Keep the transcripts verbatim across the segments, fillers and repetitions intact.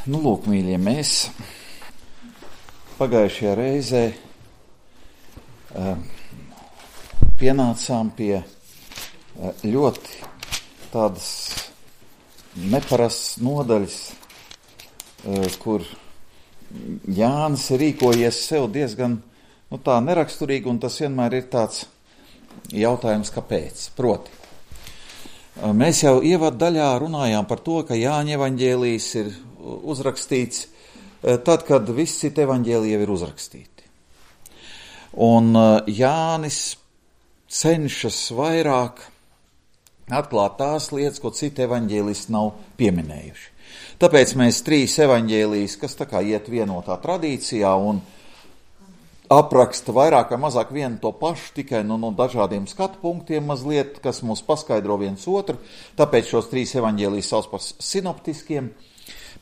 Nu, lūk, mīļie, mēs pagājušajā reizē uh, pienācām pie uh, ļoti tādas neparastas nodaļas, uh, kur Jānis ir rīkojies sev diezgan nu, tā neraksturīgi, un tas vienmēr ir tāds jautājums, kāpēc. Proti, uh, mēs jau ievadu daļā runājām par to, ka Jāņa evaņģēlijs ir uzrakstīts tad, kad visi citi evaņģēliji jau ir uzrakstīti. Un Jānis cenšas vairāk atklāt tās lietas, ko citi evaņģēlisti nav pieminējuši. Tāpēc mēs trīs evaņģēlijus, kas tā kā iet vienotā tradīcijā un apraksta vairāk vai mazāk vienu to pašu, tikai no, no dažādiem skatu punktiem mazliet, kas mums paskaidro viens otru, tāpēc šos trīs evaņģēlijus sauc par sinoptiskiem.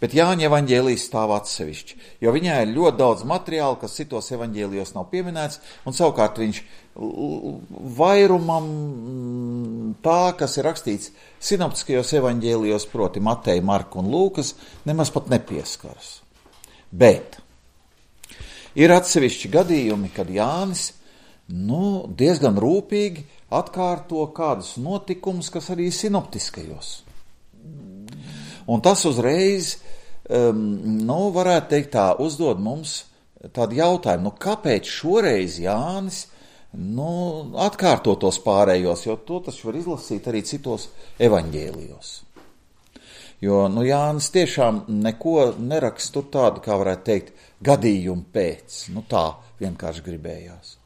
Bet Jāņa evaņģēlijs stāv atsevišķi, jo viņā ir ļoti daudz materiāla, kas citos evaņģēlijos nav pieminēts, un savukārt viņš vairumam tā, kas ir rakstīts sinoptiskajos evaņģēlijos, proti Mateja, Marka un Lūkas, nemaz pat nepieskaras. Bet ir atsevišķi gadījumi, kad Jānis nu, diezgan rūpīgi atkārto kādus notikumus, kas arī sinoptiskajos. Un tas uzreiz, um, nu, varētu teikt tā, uzdod mums tādu jautājumu, nu, kāpēc šoreiz Jānis, nu, atkārto tos pārējos, jo to taču var izlasīt arī citos evaņģēlijos. Jo, nu, Jānis tiešām neko neraksta tur tādu, kā varētu teikt, gadījumu pēc, nu, tā vienkārši gribējās.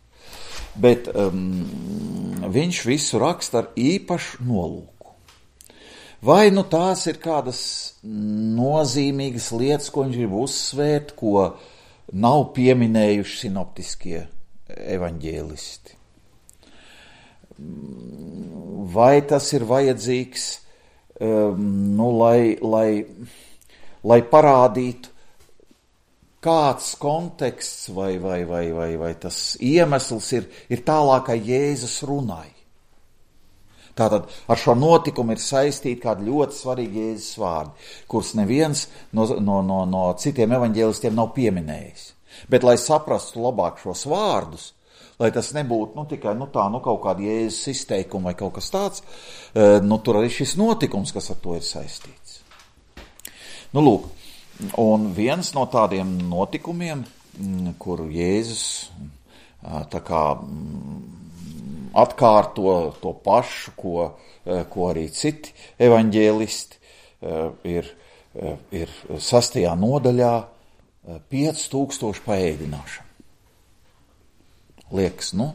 Bet um, viņš visu raksta ar īpašu nolūku. Vai nu tās ir kādas nozīmīgas lietas, ko viņš grib uzsvērt, ko nav pieminējuši sinoptiskie evaņģēlisti? Vai tas ir vajadzīgs, um, nu, lai, lai, lai parādītu kāds konteksts vai, vai, vai, vai, vai tas iemesls ir, ir tālākai Jēzus runai? Tātad ar šo notikumu ir saistīti kādi ļoti svarīgi Jēzus vārdi, kurus neviens no, no, no, no citiem evaņģēlistiem nav pieminējis. Bet, lai saprastu labāk šos vārdus, lai tas nebūtu nu, tikai nu, tā, nu, kaut kāda Jēzus izteikuma vai kaut kas tāds, nu, tur arī šis notikums, kas ar to ir saistīts. Nu, lūk, un viens no tādiem notikumiem, kur Jēzus tā kā atkārto to pašu, ko, ko arī citi evaņģēlisti, ir, ir sastajā nodaļā pieci tūkstoši paēdināšana. Liekas, nu,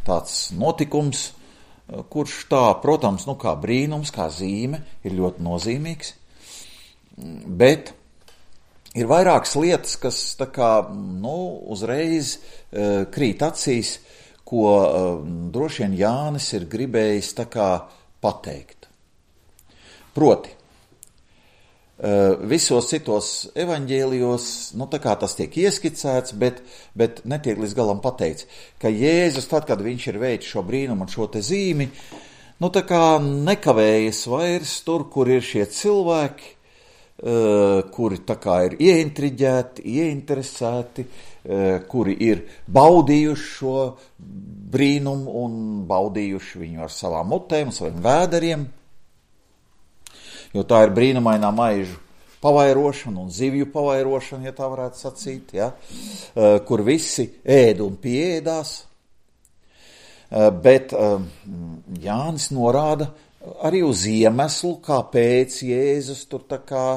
tāds notikums, kurš tā, protams, nu, kā brīnums, kā zīme, ir ļoti nozīmīgs, bet ir vairākas lietas, kas tā kā, nu, uzreiz krīt acīs, ko uh, droši vien Jānis ir gribējis tā kā pateikt. Proti, uh, visos citos evaņģēlijos, nu tā kā tas tiek ieskicēts, bet, bet netiek līdz galam pateikts, ka Jēzus, tad, kad viņš ir veicis šo brīnumu un šo te zīmi, nu tā kā nekavējas vairs tur, kur ir šie cilvēki, uh, kuri tā kā ir ieintriģēti, ieinteresēti, kuri ir baudījuši šo brīnumu un baudījuši viņu ar savām mutēm, saviem vēderiem, jo tā ir brīnumainā maižu pavairošana un zivju pavairošana, ja tā varētu sacīt, ja? Kur visi ēd un pieēdās, bet Jānis norāda arī uz iemeslu, kāpēc Jēzus tur tā kā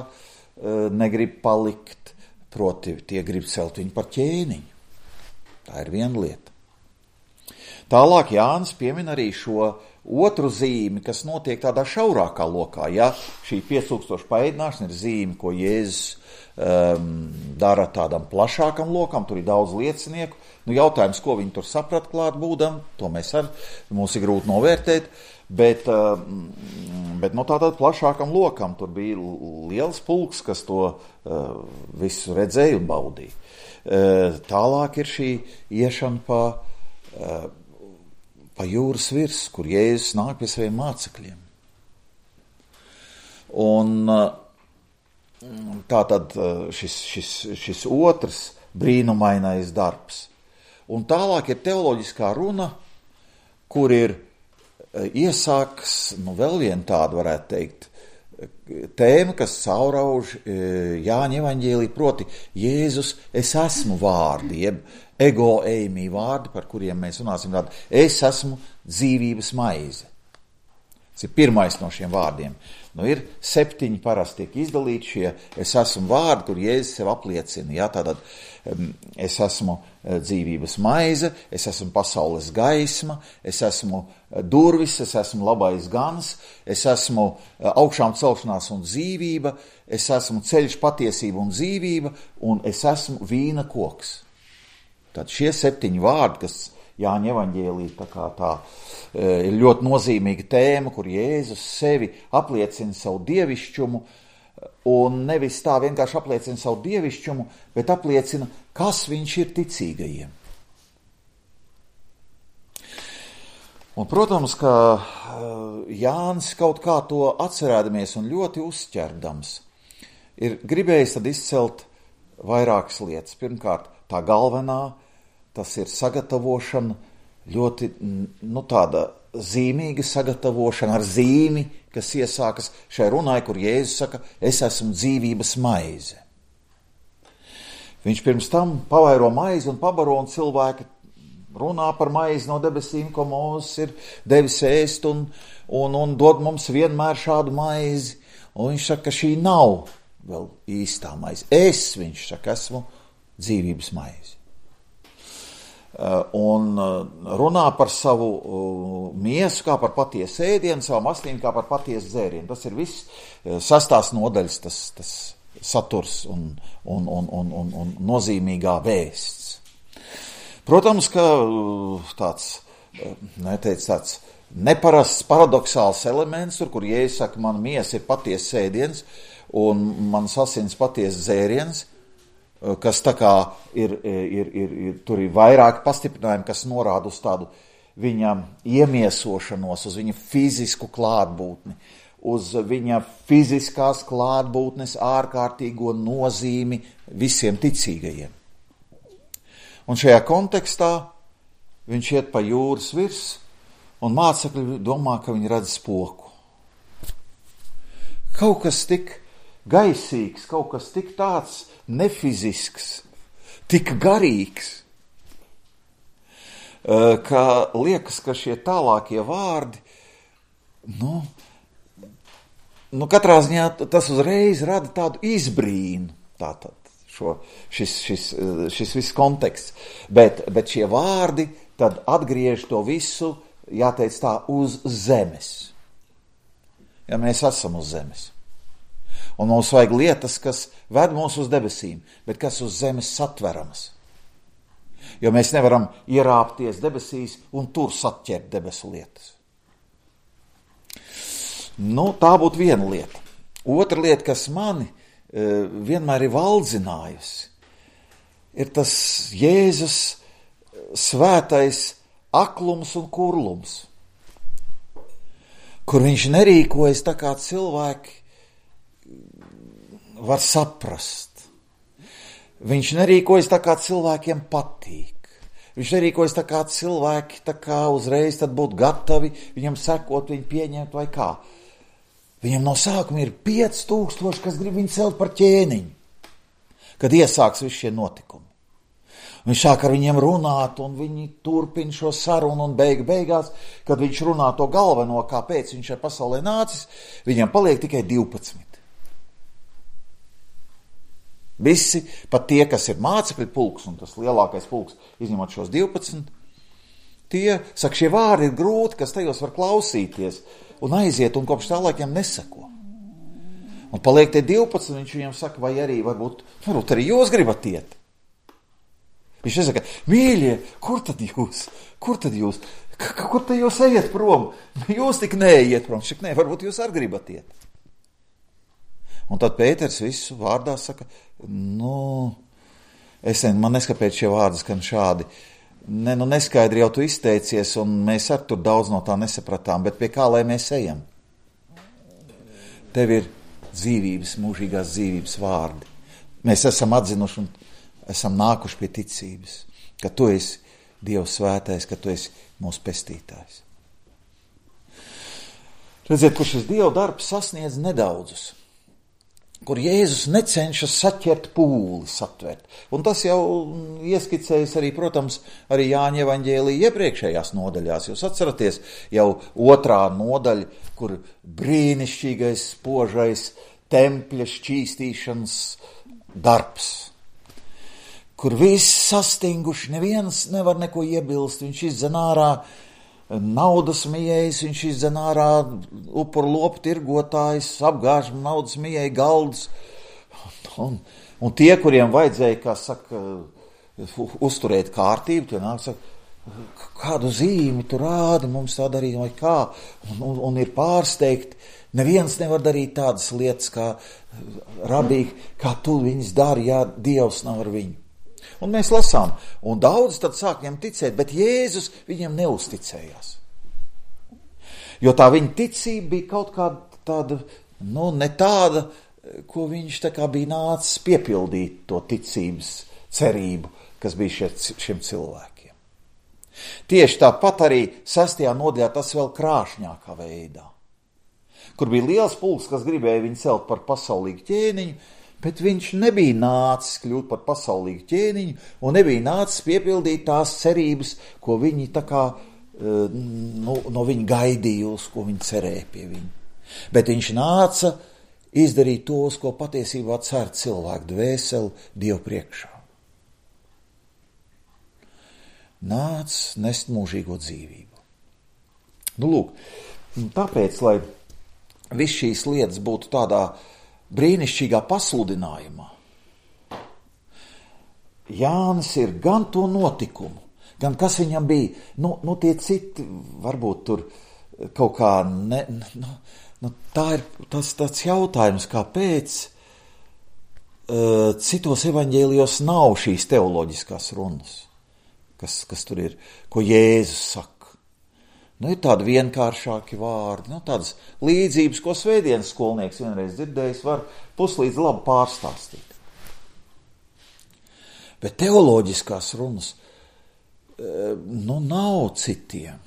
negrib palikt. Proti, tie grib celt viņu par ķēniņu. Tā ir viena lieta. Tālāk Jānis piemin arī šo otru zīmi, kas notiek tādā šaurākā lokā. Ja šī pieci tūkstoši paēdināšana ir zīme, ko Jēzus um, dara tādam plašākam lokam, tur ir daudz liecinieku. Nu, jautājums, ko viņi tur saprat klāt būdam, to mēs ar, mums ir grūti novērtēt. Bet, bet no tādā plašākam lokam tur bija liels pulks, kas to uh, visu redzēja un baudīja. Uh, tālāk ir šī iešana pa, uh, pa jūras virs, kur Jēzus nāk pie saviem mācekļiem. Un uh, tātad šis, šis, šis otrs brīnumainais darbs. Un tālāk ir teoloģiskā runa, kur ir iesāks, nu vēl viena tāda varētu teikt, tēma, kas caurauž Jāņa evaņģēlī, proti Jēzus es esmu vārdi, jeb ego eimi vārdi, par kuriem mēs runāsim tādu, es esmu dzīvības maize. Tas ir pirmais no šiem vārdiem. Nu, ir septiņi parasti tiek izdalīti šie es esmu vārdi, kur Jēzus sev apliecina. Jā, tātad es esmu dzīvības maize, es esmu pasaules gaisma, es esmu durvis, es esmu labais gans, es esmu augšām celšanās un dzīvība, es esmu ceļš, patiesība un dzīvība, un es esmu vīna koks. Tad šie septiņi vārdi, kas Jāņa evaņģēlī tā kā tā ir ļoti nozīmīga tēma, kur Jēzus sevi apliecina savu dievišķumu, un nevis tā vienkārši apliecina savu dievišķumu, bet apliecina, kas viņš ir ticīgajiem. Un, protams, ka Jānis kaut kā to atcerēdamies un ļoti uzķerdams, ir gribējis tad izcelt vairākas lietas. Pirmkārt, tā galvenā, tas ir sagatavošana, ļoti nu, tāda zīmīga sagatavošana ar zīmi, kas iesākas šai runai, kur Jēzus saka, es esmu dzīvības maize. Viņš pirms tam pavairo maizi un pabaro, un cilvēki runā par maizi no debesīm, ko Mūzes ir devis ēst, un, un, un dod mums vienmēr šādu maizi. Un viņš saka, ka šī nav vēl īstā maize. Es, viņš saka, esmu dzīvības maize. Un runā par savu miesu kā par patiesu ēdienu, savu astīm kā par patiesu dzērienu. Tas ir viss sastās nodaļas, tas, tas saturs un, un, un, un, un, un nozīmīgā vēsts. Protams, ka tāds, neteic, tāds neparasts, paradoxāls elements, tur, kur Jēzus saka, man miesa ir patiesas ēdiens un mans asins patiesas dzēriens, kas tā kā ir, ir, ir, ir, tur ir vairāki pastiprinājumi, kas norāda uz tādu viņa iemiesošanos, uz viņa fizisku klātbūtni, uz viņa fiziskās klātbūtnes ārkārtīgo nozīmi visiem ticīgajiem. Un šajā kontekstā viņš iet pa jūras virs, un mācekļi domā, ka viņi redz spoku. Kaut kas tik gaisīgs, kaut kas tik tāds nefizisks, tik garīgs, ka liekas, ka šie tālākie vārdi, nu, nu katrā ziņā tas uzreiz rada tādu izbrīnu, tātad šo, šis, šis, šis viss konteksts, bet, bet šie vārdi tad atgriež to visu, jāteic tā, uz zemes. Ja mēs esam uz zemes. Un mums vajag lietas, kas ved mūs uz debesīm, bet kas uz zemes satveramas. Jo mēs nevaram ierāpties debesīs un tur satķert debesu lietas. Nu, tā būtu viena lieta. Otra lieta, kas mani e, vienmēr ir valdzinājusi, ir tas Jēzus svētais aklums un kurlums, kur viņš nerīkojas tā kā cilvēki var saprast. Viņš nerīkojas tā, kā cilvēkiem patīk. Viņš nerīkojas tā, kā cilvēki tā kā uzreiz tad būtu gatavi viņam sekot, viņu pieņemt vai kā. Viņam no sākuma ir pieci tūkstoši, kas grib viņu celt par ķēniņu, kad iesāks visi šie notikumi. Viņš sāk ar viņiem runāt, un viņi turpina šo sarunu, un beigu beigās, kad viņš runā to galveno, kāpēc viņš ir pasaulē nācis, viņam paliek tikai divpadsmit. Visi, pat tie, kas ir mācekļu pulks, un tas lielākais pulks, izņemot šos divpadsmit, tie, saka, šie vārdi ir grūti, kas tajos var klausīties, un aiziet, un kopš tā laikiem nesako. Un paliek tie divpadsmit, viņš viņiem saka, vai arī varbūt, varbūt arī jūs gribat iet. Viņš nesaka, mīļie, kur tad jūs, kur tad jūs, K- kur tad jūs ejat prom? Jūs tik neiet prom, šik nē, varbūt jūs arī gribat iet. Un tad Pēters visu vārdā saka, nu, es ne, man neskapēc šie vārdi skan šādi. Ne, nu neskaidri jau tu izteicies, un mēs ar tur daudz no tā nesapratām, bet pie kā lai mēs ejam? Tev ir dzīvības, mūžīgās dzīvības vārdi. Mēs esam atzinuši un esam nākuši pie ticības, ka tu esi Dievs svētais, ka tu esi mūsu pestītājs. Redziet, kur šis Dieva darbs sasniedz nedaudzus, kur Jēzus necenšas saķert pūli, satvert. Un tas jau ieskicējas arī, protams, arī Jāņa evaņģēlija iepriekšējās nodaļās. Jūs atceraties jau otrā nodaļa, kur brīnišķīgais, spožais tempļa šķīstīšanas darbs, kur viss sastinguši, neviens nevar neko iebilst, viņš izdzen ārā naudas mijējs, viņš izdzen ārā upuru lopu tirgotājs, apgāž naudas mijēju galdus, un, un tie, kuriem vajadzēja, kā saka, uzturēt kārtību, tie nāk, saka, kādu zīmi tu rādi, mums tā darīt, vai kā, un, un, un ir pārsteigti. Neviens nevar darīt tādas lietas, kā rabīgi, kā tu viņas dari, ja Dievs nav ar viņu. Un mēs lasām, un daudz tad sāk viņam ticēt, bet Jēzus viņam neuzticējās. Jo tā viņa ticība bija kaut kāda tāda, nu, ne tāda, ko viņš tā kā bija nācis piepildīt to ticības cerību, kas bija šeit, šiem cilvēkiem. Tieši tāpat arī sastajā nodaļā tas vēl krāšņākā veidā, kur bija liels pulks, kas gribēja viņu celt par pasaulīgu ķēniņu, bet viņš nebija nācis kļūt par pasaulīgu ķēniņu un nebija nācis piepildīt tās cerības, ko viņi tā kā nu, no viņa gaidīja, uz ko viņi cerēja pie viņa. Bet viņš nāca izdarīt to, uz ko patiesībā cer cilvēku dvēseli Dievu priekšā. Nāc nest mūžīgo dzīvību. Nu, lūk, tāpēc, lai viss šīs lietas būtu tādā brīnišķīgā pasludinājumā, Jānis ir gan to notikumu, gan kas viņam bija, nu, nu tie citi, varbūt tur kaut kā, ne, nu, nu tā ir tas tāds jautājums, kāpēc uh, citos evaņģēlijos nav šīs teoloģiskās runas, kas, kas tur ir, ko Jēzus saka. Nu, ir tādi vienkāršāki vārdi, nu, tādas līdzības, ko svētdienas skolnieks vienreiz dzirdējis, var puslīdz labi pārstāstīt. Bet teoloģiskās runas, nu, nav citiem.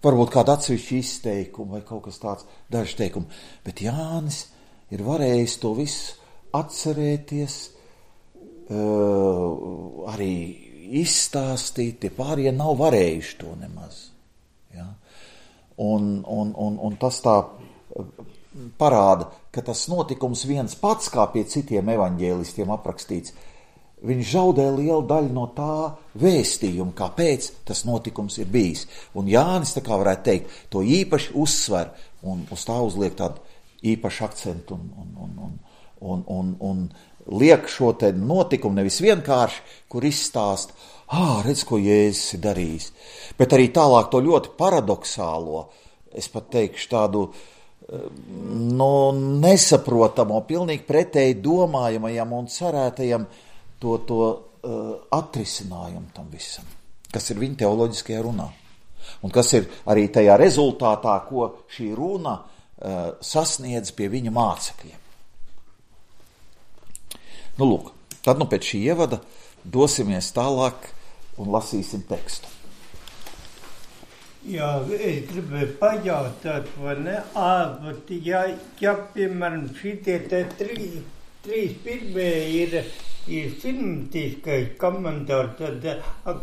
Varbūt kāda atsevišķa izteikuma vai kaut kas tāds, daži teikumi. Bet Jānis ir varējis to visu atcerēties, arī izstāstīt, tie pārējie nav varējuši to nemaz. Ja? Un, un, un, un tas tā parāda, ka tas notikums viens pats, kā pie citiem evaņģēlistiem aprakstīts, viņš zaudē lielu daļu no tā vēstījuma, kāpēc tas notikums ir bijis. Un Jānis, tā kā varētu teikt, to īpaši uzsver un uz tā uzliek tādu īpašu akcentu un, un, un, un, un, un, un liek šo te notikumu nevis vienkārši, kur izstāst, ā, redz, ko Jēzus ir darījis, bet arī tālāk to ļoti paradoxālo, es pat teikšu tādu, no nesaprotamo, pilnīgi pretēji domājamajam un cerētajam to, to uh, atrisinājumu tam visam, kas ir viņa teoloģiskajā runā. Un kas ir arī tajā rezultātā, ko šī runa uh, sasniedz pie viņa mācekļiem. Nu, lūk, tad nu pēc šī ievada dosimies tālāk un lasīsim tekstu. Jā, es gribēju pajautāt, vai ne, ā, bet ja, ja, piemēram, šitie te trīs, trīs pirmie ir, ir sinoptiskais komentārs, tad,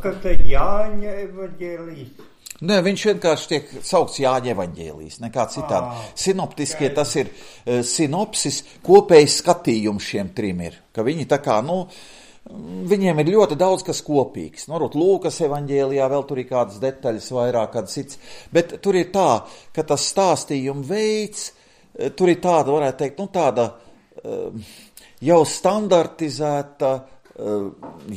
kas tad Jāņa evaņģēlijs? Nē, viņš vienkārši tiek saukts Jāņa evaņģēlijs, nekā citādi. À, Sinoptiskie jā. Tas ir uh, sinopsis, kopējs skatījums šiem trim ir, ka viņi tā kā, nu, viņiem ir ļoti daudz kas kopīgs. Norot Lūkas evaņģēlijā vēl tur ir kādas detaļas vairāk, kādas cits, bet tur ir tā, ka tas stāstījuma veids, tur ir tāda, varētu teikt, nu tāda uh, jau standartizēta uh,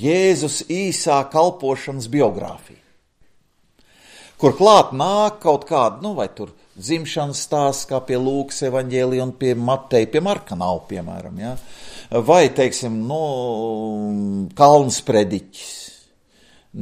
Jēzus īsā kalpošanas biogrāfija. Kur klāt nāk kaut kāda, nu, vai tur dzimšanas stāsts, kā pie Lūkas evaņģēlija un pie Mateja, pie Marka nav, piemēram, ja? Vai, teiksim, nu, kalns prediķis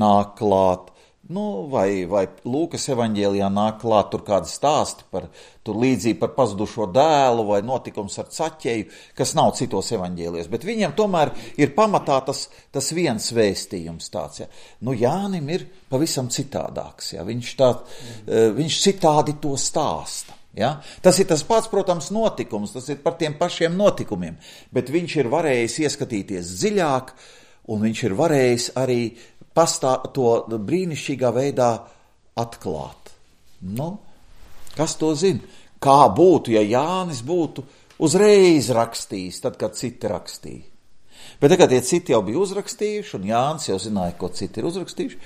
nāk klāt, nu, vai, vai Lūkas evaņģēlijā nāk klāt tur kādi stāsti par, tur līdzīgi par pazudušo dēlu vai notikums ar Caķeju, kas nav citos evaņģēlijos, bet viņiem tomēr ir pamatā tas, tas viens vēstījums tāds, ja. Nu, Jānim ir pavisam citādāks, ja, viņš, tā, viņš citādi to stāsta. Ja? Tas ir tas pats, protams, notikums, tas ir par tiem pašiem notikumiem, bet viņš ir varējis ieskatīties dziļāk, un viņš ir varējis arī pastā, to brīnišķīgā veidā atklāt. Nu, kas to zina? Kā būtu, ja Jānis būtu uzreiz rakstījis, tad, kad citi rakstīja? Bet tagad tie citi jau bija uzrakstījuši, un Jānis jau zināja, ko citi ir uzrakstījuši,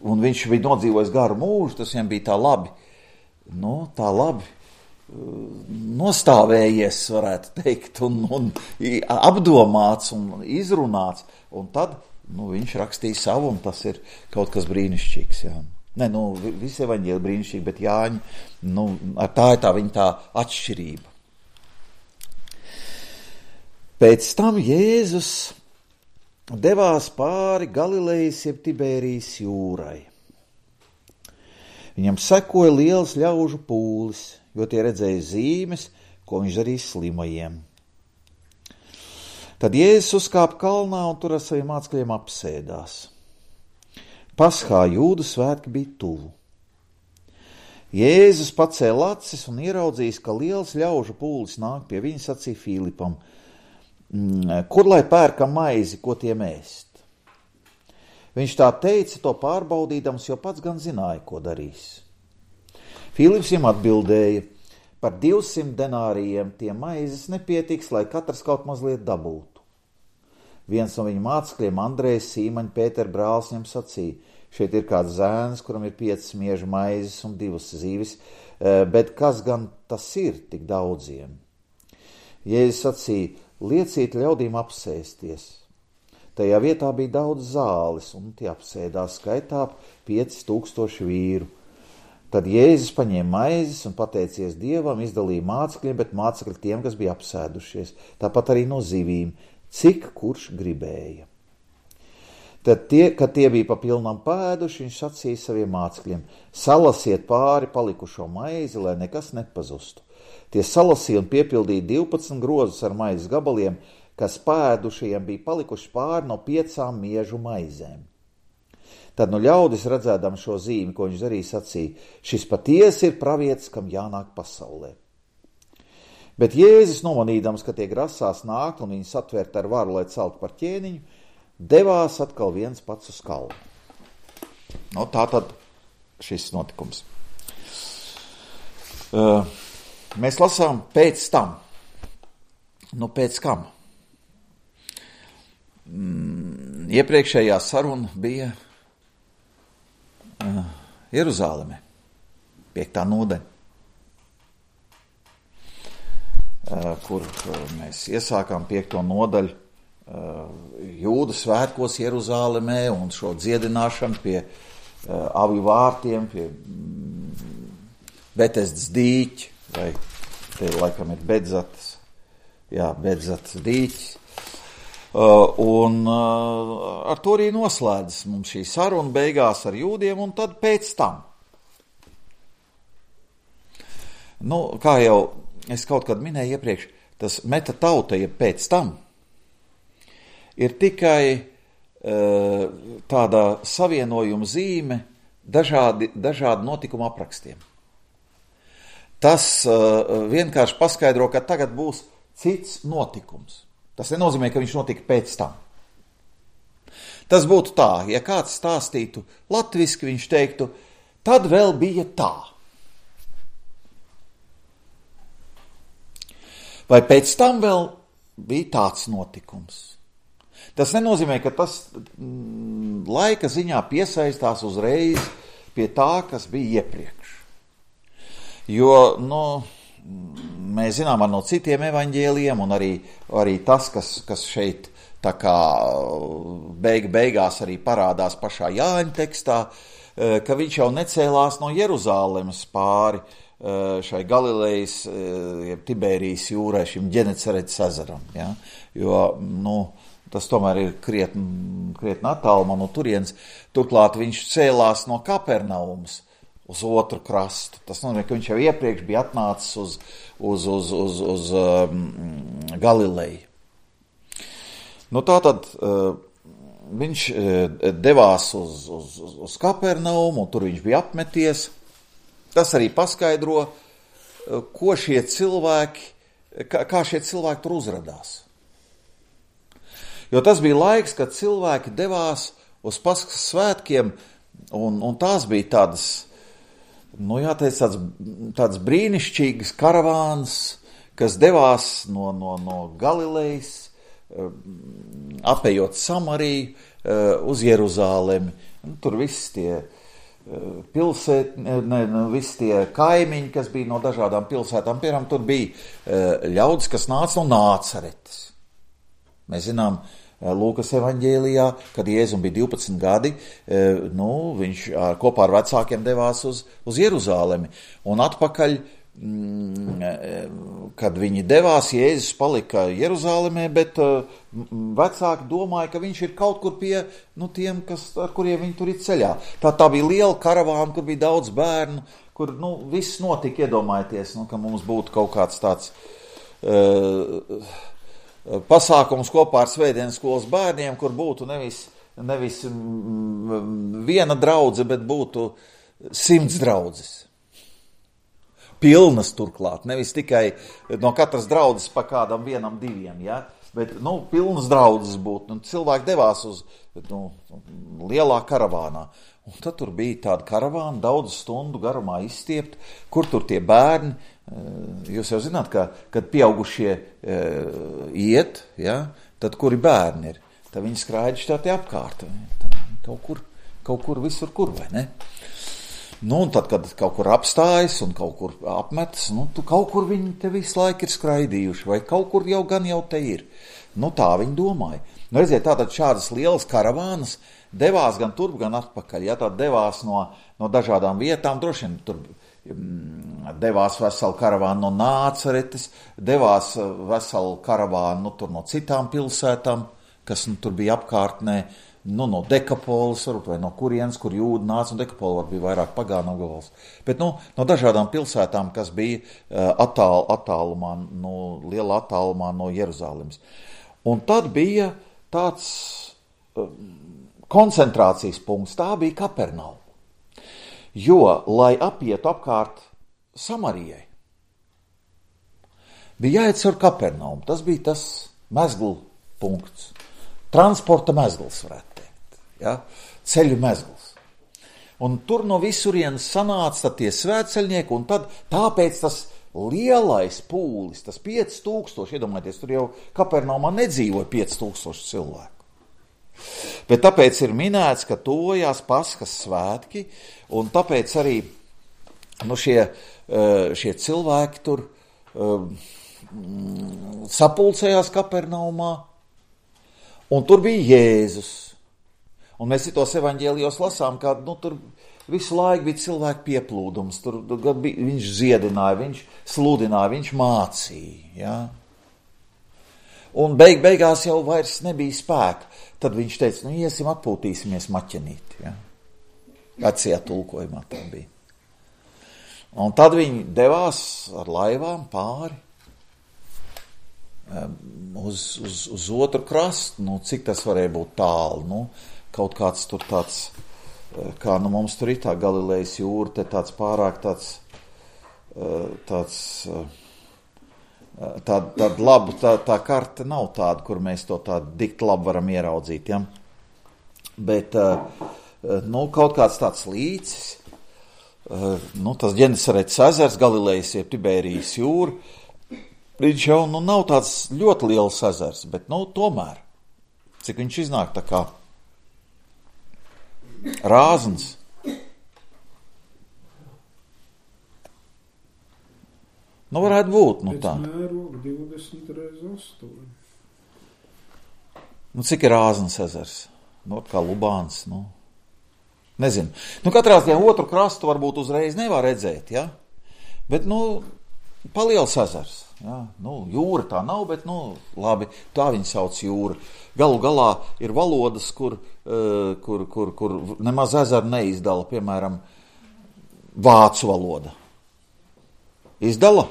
un viņš bija nodzīvojis garu mūžu, tas viņam bija tā labi. Nu, tā labi nostāvējies, varētu teikt, un, un apdomāts un izrunāts, un tad, nu, viņš rakstīja savu, un tas ir kaut kas brīnišķīgs, jā. Ne, nu, visi evaņģēli brīnišķīgi, bet Jāņi, nu, tā ir tā viņa tā atšķirība. Pēc tam Jēzus devās pāri Galilejas jeb Tibērijas jūrai. Viņam sekoja liels ļaužu pūlis, jo tie redzēja zīmes, ko viņš darīja slimajiem. Tad Jēzus uzkāpa kalnā un tur ar saviem mācekļiem apsēdās. Paschā Jūdu svētki bija tuvu. Jēzus pacēla acis un ieraudzījis, ka liels ļaužu pūlis nāk pie viņa, sacīja Filipam, kur lai pērkam maizi, ko tiem ēst? Viņš tā teica, to pārbaudīdams, jo pats gan zināja, ko darīs. Filips viņam atbildēja, par divsimt denārijiem tie maizes nepietiks, lai katrs kaut mazliet dabūtu. Viens no viņa mācekļiem, Andrejs, Sīmaņa, Pētera brālis, viņam sacīja, šeit ir kāds zēns, kuram ir piecas miežu maizes un divas zīves, bet kas gan tas ir tik daudziem? Jēzus sacīja, lieciet ļaudīm apsēsties. Tajā vietā bija daudz zāles, un tie apsēdās skaitā pieci tūkstoši vīru. Tad Jēzus paņēma maizes un pateicies Dievam, izdalīja mācekļiem, bet mācekļi tiem, kas bija apsēdušies, tāpat arī no zivīm, cik kurš gribēja. Tad, tie, kad tie bija pa pilnam pēduši, viņš sacīja saviem mācekļiem, salasiet pāri palikušo maizi, lai nekas nepazustu. Tie salasīja un piepildīja divpadsmit grozus ar maizes gabaliem, kas pēdušajiem bija palikuši pāri no piecām miežu maizēm. Tad nu ļaudis redzēdam šo zīmi, ko viņš darīja, sacīja, šis patiesi ir pravietis, kam jānāk pasaulē. Bet Jēzus nomanīdams, ka tie grasās nākt un viņu satvērt ar varu, lai celtu par ķēniņu, devās atkal viens pats uz kalnu. No, tā tad šis notikums. Uh, mēs lasām pēc tam. Nu, pēc kam? Mm, iepriekšējā saruna bija uh, Jeruzāleme, piektā nodaļa, uh, kur uh, mēs iesākām piekto nodaļu uh, Jūdu svētkos Jeruzālemē un šo dziedināšanu pie uh, avju vārtiem, pie mm, Betesdas dīķa, vai te laikam ir Bedzatas, jā, Bedzatas dīķis. Uh, un uh, ar to arī noslēdzas mums šī saruna beigās ar jūdiem, un tad pēc tam. Nu, kā jau es kaut kad minēju iepriekš, tas meta tauta, ja pēc tam, ir tikai uh, tāda savienojuma zīme dažādi, dažādi notikuma aprakstiem. Tas uh, vienkārši paskaidro, ka tagad būs cits notikums. Tas nenozīmē, ka viņš notika pēc tam. Tas būtu tā, ja kāds stāstītu latviski, viņš teiktu, tad vēl bija tā. Vai pēc tam vēl bija tāds notikums. Tas nenozīmē, ka tas mm, laika ziņā piesaistās uzreiz pie tā, kas bija iepriekš. Jo, nu... Mēs zinām ar no citiem evaņģēlijiem, un arī, arī tas, kas, kas šeit tā kā beig, beigās arī parādās pašā Jāņa tekstā, ka viņš jau necēlās no Jeruzālemes pāri šai Galilejas, jeb Tibērijas jūrai, šim Ģenecaretes ezeram. Ja? Jo, nu, tas tomēr ir krietni, krietni attālumā no turienes. Turklāt viņš cēlās no Kapernaumas uz otru krastu. Tas nozīmē, ka viņš jau iepriekš bija atnācis uz, uz, uz, uz, uz um, Galileju. Nu tātad uh, viņš uh, devās uz, uz, uz, uz Kapernaumu, un tur viņš bija apmeties. Tas arī paskaidro, uh, ko šie cilvēki, kā, kā šie cilvēki tur uzradās. Jo tas bija laiks, kad cilvēki devās uz Paskas svētkiem, un, un tās bija tādas, nu jāteic, tāds, tāds brīnišķīgas karavāns, kas devās no, no, no Galilejas, apējot Samariju uz Jeruzālemi. Tur viss tie pilsēt, ne, ne, visi tie kaimiņi, kas bija no dažādām pilsētām, piemēram, tur bija ļaudis, kas nāca no Nācaretes. Mēs zinām, Lūkas evaņģēlijā, kad Jēzum bija divpadsmit gadi, nu, viņš ar, kopā ar vecākiem devās uz, uz Jeruzālemi. Un atpakaļ, kad viņi devās, Jēzus palika Jeruzālemē, bet vecāki domāja, ka viņš ir kaut kur pie nu, tiem, kas, ar kuriem viņi tur ir ceļā. Tā, tā bija liela karavāna, kur bija daudz bērnu, kur nu, viss notika, iedomājieties, nu, ka mums būtu kaut kāds tāds... Uh, pasākums kopā ar svētdienas skolas bērniem, kur būtu nevis, nevis viena draudze, bet būtu simts draudzes. Pilnas turklāt, nevis tikai no katras draudzes pa kādam vienam, diviem, ja? Bet, nu, pilnas draudzes būtu. Un cilvēki devās uz nu, lielā karavānā. Un tad tur bija tāda karavāna, daudz stundu garumā izstiept, kur tur tie bērni. Jūs jau zināt, ka, kad pieaugušie e, iet, ja, tad kuri bērni ir, tad viņi skraidži tā te apkārt. Tā, kaut kur, kaut kur visur kur, vai ne? Nu, un tad, kad kaut kur apstājas un kaut kur apmetas, nu, tu kaut kur viņi te visu laiku ir skraidījuši, vai kaut kur jau gan jau te ir. Nu, tā viņi domāja. Nu, redziet, tātad šādas lielas karavānas devās gan turp, gan atpakaļ. Ja, tad devās no, no dažādām vietām, droši vien tur devās vesela karavāna no Nācaretes, devās vesela karavāna nu, tur no citām pilsētām, kas nu, tur bija apkārtnē, nu, no Dekapolis, varbūt, vai no kurienes, kur jūdi nāca, un Dekapoli var bija vairāk pagānu apgabals. Bet nu, no dažādām pilsētām, kas bija attāl, attālumā, nu, liela attālumā no Jeruzālemes. Un tad bija tāds koncentrācijas punkts, tā bija Kapernauma. Jo, lai apietu apkārt Samarijai, bija jāiet caur Kapernaumu. Tas bija tas mezglu punkts. Transporta mezgls, varētu teikt. Ja? Ceļu mezgls. Un tur no visurienes sanāca tie svētceļnieki, un tad tāpēc tas lielais pūlis, tas pieci tūkstoši, iedomājieties, tur jau Kapernaumā nedzīvoja pieci tūkstoši cilvēku. Bet tāpēc ir minēts, ka tojās Paskas svētki, un tāpēc arī nu, šie, šie cilvēki tur um, sapulcējās Kapernaumā, un tur bija Jēzus. Un mēs citos evaņģēlijos lasām, ka nu, tur visu laiku bija cilvēku pieplūdums, tur bija, viņš ziedināja, viņš sludināja, viņš mācīja. Ja? Un beig, beigās jau vairs nebija spēka. Tad viņš teica, nu iesim atpūtīsimies maķenīt. Ja? Vecajā tulkojumā tā bija. Un tad viņi devās ar laivām pāri uz, uz, uz otru krastu. Nu, cik tas varēja būt tālu? Nu, kaut kāds tur tāds, kā nu mums tur ir tā Galilejas jūra, te tāds pārāk tāds, tāds Tā, tāda laba, tā, tā karte nav tāda, kur mēs to tādu dikti labi varam ieraudzīt, ja? Bet, nu, kaut kāds tāds līcis, nu, tas Ģenesaretes ezers, Galilejas jeb Tibērijas jūra, viņš jau, nu, nav tāds ļoti liels ezers, bet, nu, tomēr, cik viņš iznāk tā kā rāzns. Nu, varētu būt, nu tā. Pēc mēroga divdesmit reiz astoņi. Nu, cik ir Rāznas ezers? Nu, kā Lubāns, nu. Nezinu. Nu, katrā ziņā otru krastu varbūt uzreiz nevar redzēt, ja? Bet, nu, paliels ezers. Ja? Nu, jūra tā nav, bet nu, labi, tā viņa sauc jūra. Galu galā ir valodas, kur, uh, kur, kur, kur nemaz ezeru neizdala, piemēram, vācu valoda. Izdala?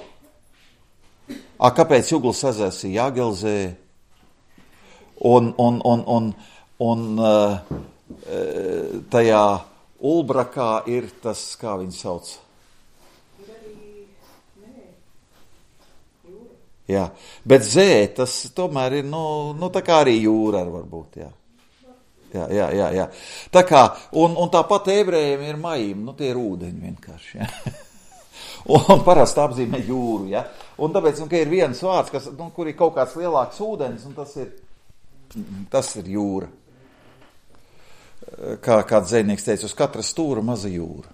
A, kāpēc Juglas ezers ir Jāgelzē? Un, un, un, un, un uh, tajā Ulbrakā ir tas, kā viņi sauc? Jā, bet zē, tas tomēr ir, nu, nu tā kā arī jūra ar varbūt, jā. Jā, jā, jā, jā. Tā kā, un, un tāpat ebrejiem ir majim, nu tie ir ūdeņi vienkārši, jā. Un parasti apzīmē jūru, jā. Un tāpēc, nu, ka ir viens vārds, kas, nu, kur ir kaut kāds lielāks ūdens, un tas ir, tas ir jūra. Kā kāds dzejnieks teica, uz katra stūra maza jūra.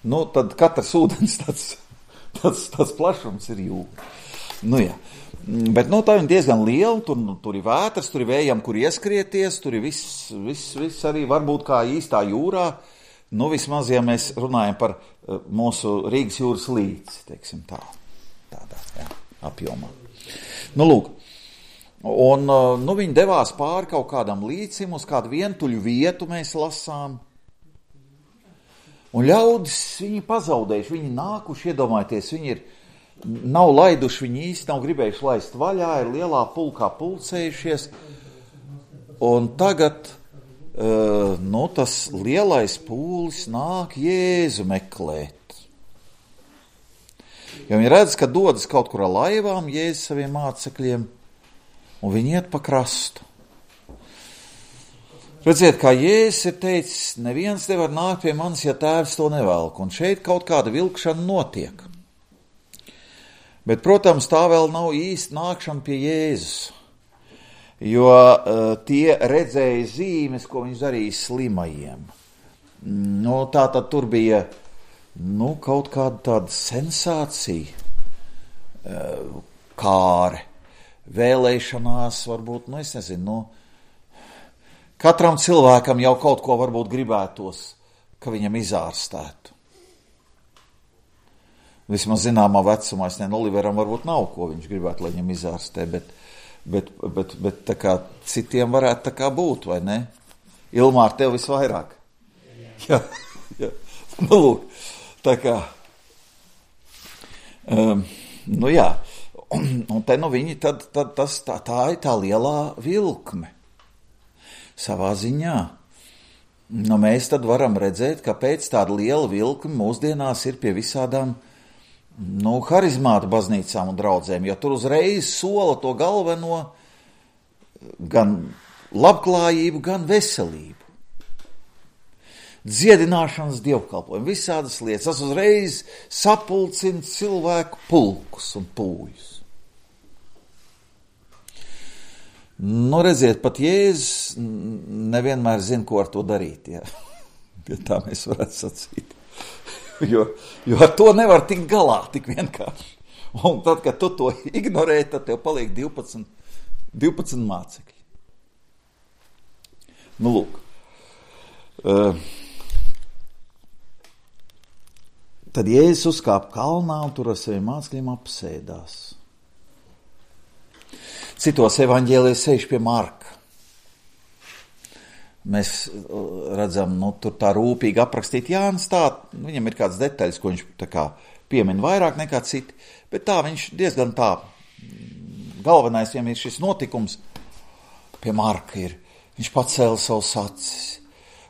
Nu, tad katrs ūdens tāds, tāds, tāds plašums ir jūra. Nu jā, bet nu, tā ir diezgan liela, tur, tur ir vētras, tur ir vējam, kur ieskrieties, tur ir viss, viss, viss arī varbūt kā īstā jūrā, nu vismaz, ja mēs runājam par uh, mūsu Rīgas jūras līci, teiksim tā, tādā, jā, apjomā. Nu, lūk, un, uh, nu, viņi devās pāri kaut kādam līcim, uz kādu vientuļu vietu mēs lasām, un ļaudis viņi pazaudējuši, viņi nākuši, iedomājieties, viņi ir nav laiduši viņi īsti, nav gribējuši laist vaļā, ir lielā pulkā pulcējušies, un tagad, uh, nu, tas lielais pūlis nāk Jēzu meklēt. Jo viņi redz, ka dodas kaut kur ar laivām Jēzus saviem mācekļiem, un viņi iet pa krastu. Redziet, kā Jēzus ir teicis, neviens nevar nākt pie manis, ja tēvs to nevelk, un šeit kaut kāda vilkšana notiek. Bet, protams, tā vēl nav īsti nākšana pie Jēzus, jo uh, tie redzēja zīmes, ko viņš darīja slimajiem. Nu, tā tad tur bija, nu, kaut kāda tāda sensācija, uh, kāre, vēlēšanās, varbūt, nu, es nezinu, nu, katram cilvēkam jau kaut ko varbūt gribētos, ka viņam izārstētu. Vismaz zināmā vecumā, es nezinu, Oliveram varbūt nav, ko viņš gribētu, lai viņam izārstē, bet, bet, bet, bet tā kā citiem varētu tā kā būt, vai ne? Ilmār, tev visvairāk. Jā, jā. Nu, lūk, tā kā, um, nu jā, un, un te nu viņi, tad, tad tas, tā, tā ir tā lielā vilkme savā ziņā. Nu, mēs tad varam redzēt, ka pēc tāda liela vilkme mūsdienās ir pie visādām nu, harizmātu baznīcām un draudzēm, jo tur uzreiz sola to galveno gan labklājību, gan veselību. Dziedināšanas dievkalpojumu, visādas lietas. Tas uzreiz sapulcina cilvēku pulkus un pūjus. Nu, redziet, pat Jēzus nevienmēr zina, ko ar to darīt, jā. Ja tā mēs varētu sacīt. Jo, jo ar to nevar tikt galā tik vienkārši. Un tad, kad tu to ignorē, tad tev paliek divpadsmit, divpadsmit mācekļi. Nu, lūk. Uh, tad Jēzus uzkāpa kalnā un tur ar saviem mācekļiem apsēdās. Citos evaņģēlijos sēž pie Marka. Mēs redzam, nu, tur tā rūpīgi aprakstīt Jānis tā, viņam ir kāds detaļas, ko viņš tā kā piemin vairāk nekā citi, bet tā viņš diezgan tā, galvenais, ja ir šis notikums, pie Marka ir, viņš pacēla savus acis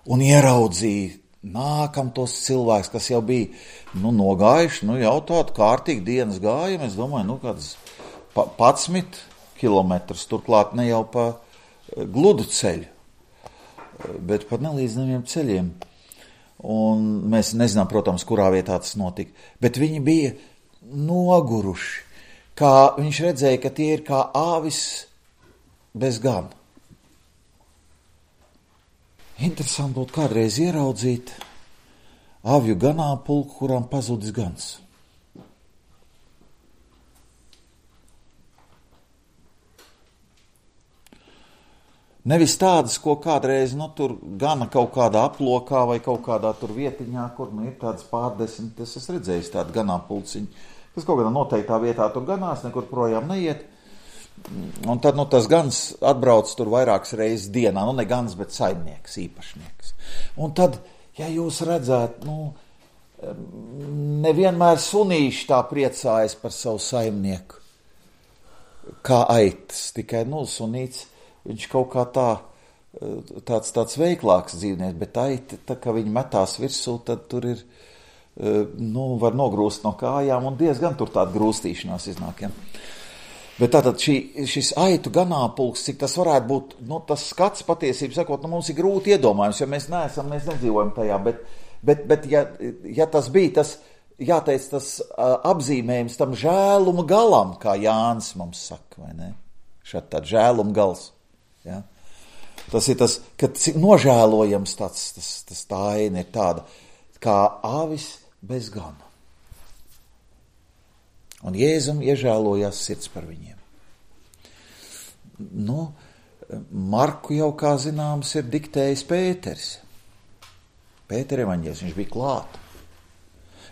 un ieraudzīja nākam tos cilvēks, kas jau bija, nu, nogājuši, nu, jau tādu kārtīgi dienas gājumu, es domāju, nu, kāds padsmit kilometrus, turklāt ne jau pa gludu ceļu, bet pat nelīdzinājumiem ceļiem. Un mēs nezinām, protams, kurā vietā tas notika. Bet viņi bija noguruši, kā viņš redzēja, ka tie ir kā āvis bez gana. Interesanti būtu kādreiz ieraudzīt avju ganāmpulku, kurām pazudis gans. Nevis tādas, ko kādreiz, nu, tur gana kaut kādā aplokā vai kaut kādā tur vietiņā, kur, nu, ir tādas pārdesmit, es esmu redzējis tādu ganāmpulciņu, kas kaut kādā noteiktā vietā tur ganās, nekur projām neiet. Un tad, nu, tas gans atbrauc tur vairākas reizes dienā, nu, ne gans, bet saimnieks, īpašnieks. Un tad, ja jūs redzētu, nu, nevienmēr sunīši tā priecājas par savu saimnieku, kā aitas, tikai, nu, sunīts, viņš kaut kā tā, tāds, tāds veiklāks dzīvnieks, bet aiti, tā kā viņi metās virsū, tad tur ir, nu, var nogrūst no kājām, un diezgan tur tāda grūstīšanās iznāk, ja. Bet tātad šī, šis aitu ganāpulks, cik tas varētu būt, nu, tas skats patiesību sakot, nu, mums ir grūti iedomājums, jo mēs neesam, mēs nedzīvojam tajā, bet, bet, bet ja, ja tas bija tas, jāteic, tas uh, apzīmējums tam žēluma galam, kā Jānis mums saka, vai ne? Šādi tāds žēluma gals, ja? Tas ir tas, kad nožēlojams tāds, tas, tas tā aina ir tāda, kā avis bez gana. Un Jēzum iežēlojās sirds par viņiem. Nu, Marku jau, kā zināms, ir diktējis Pēters. Pētera evaņģēlis, viņš bija klāt.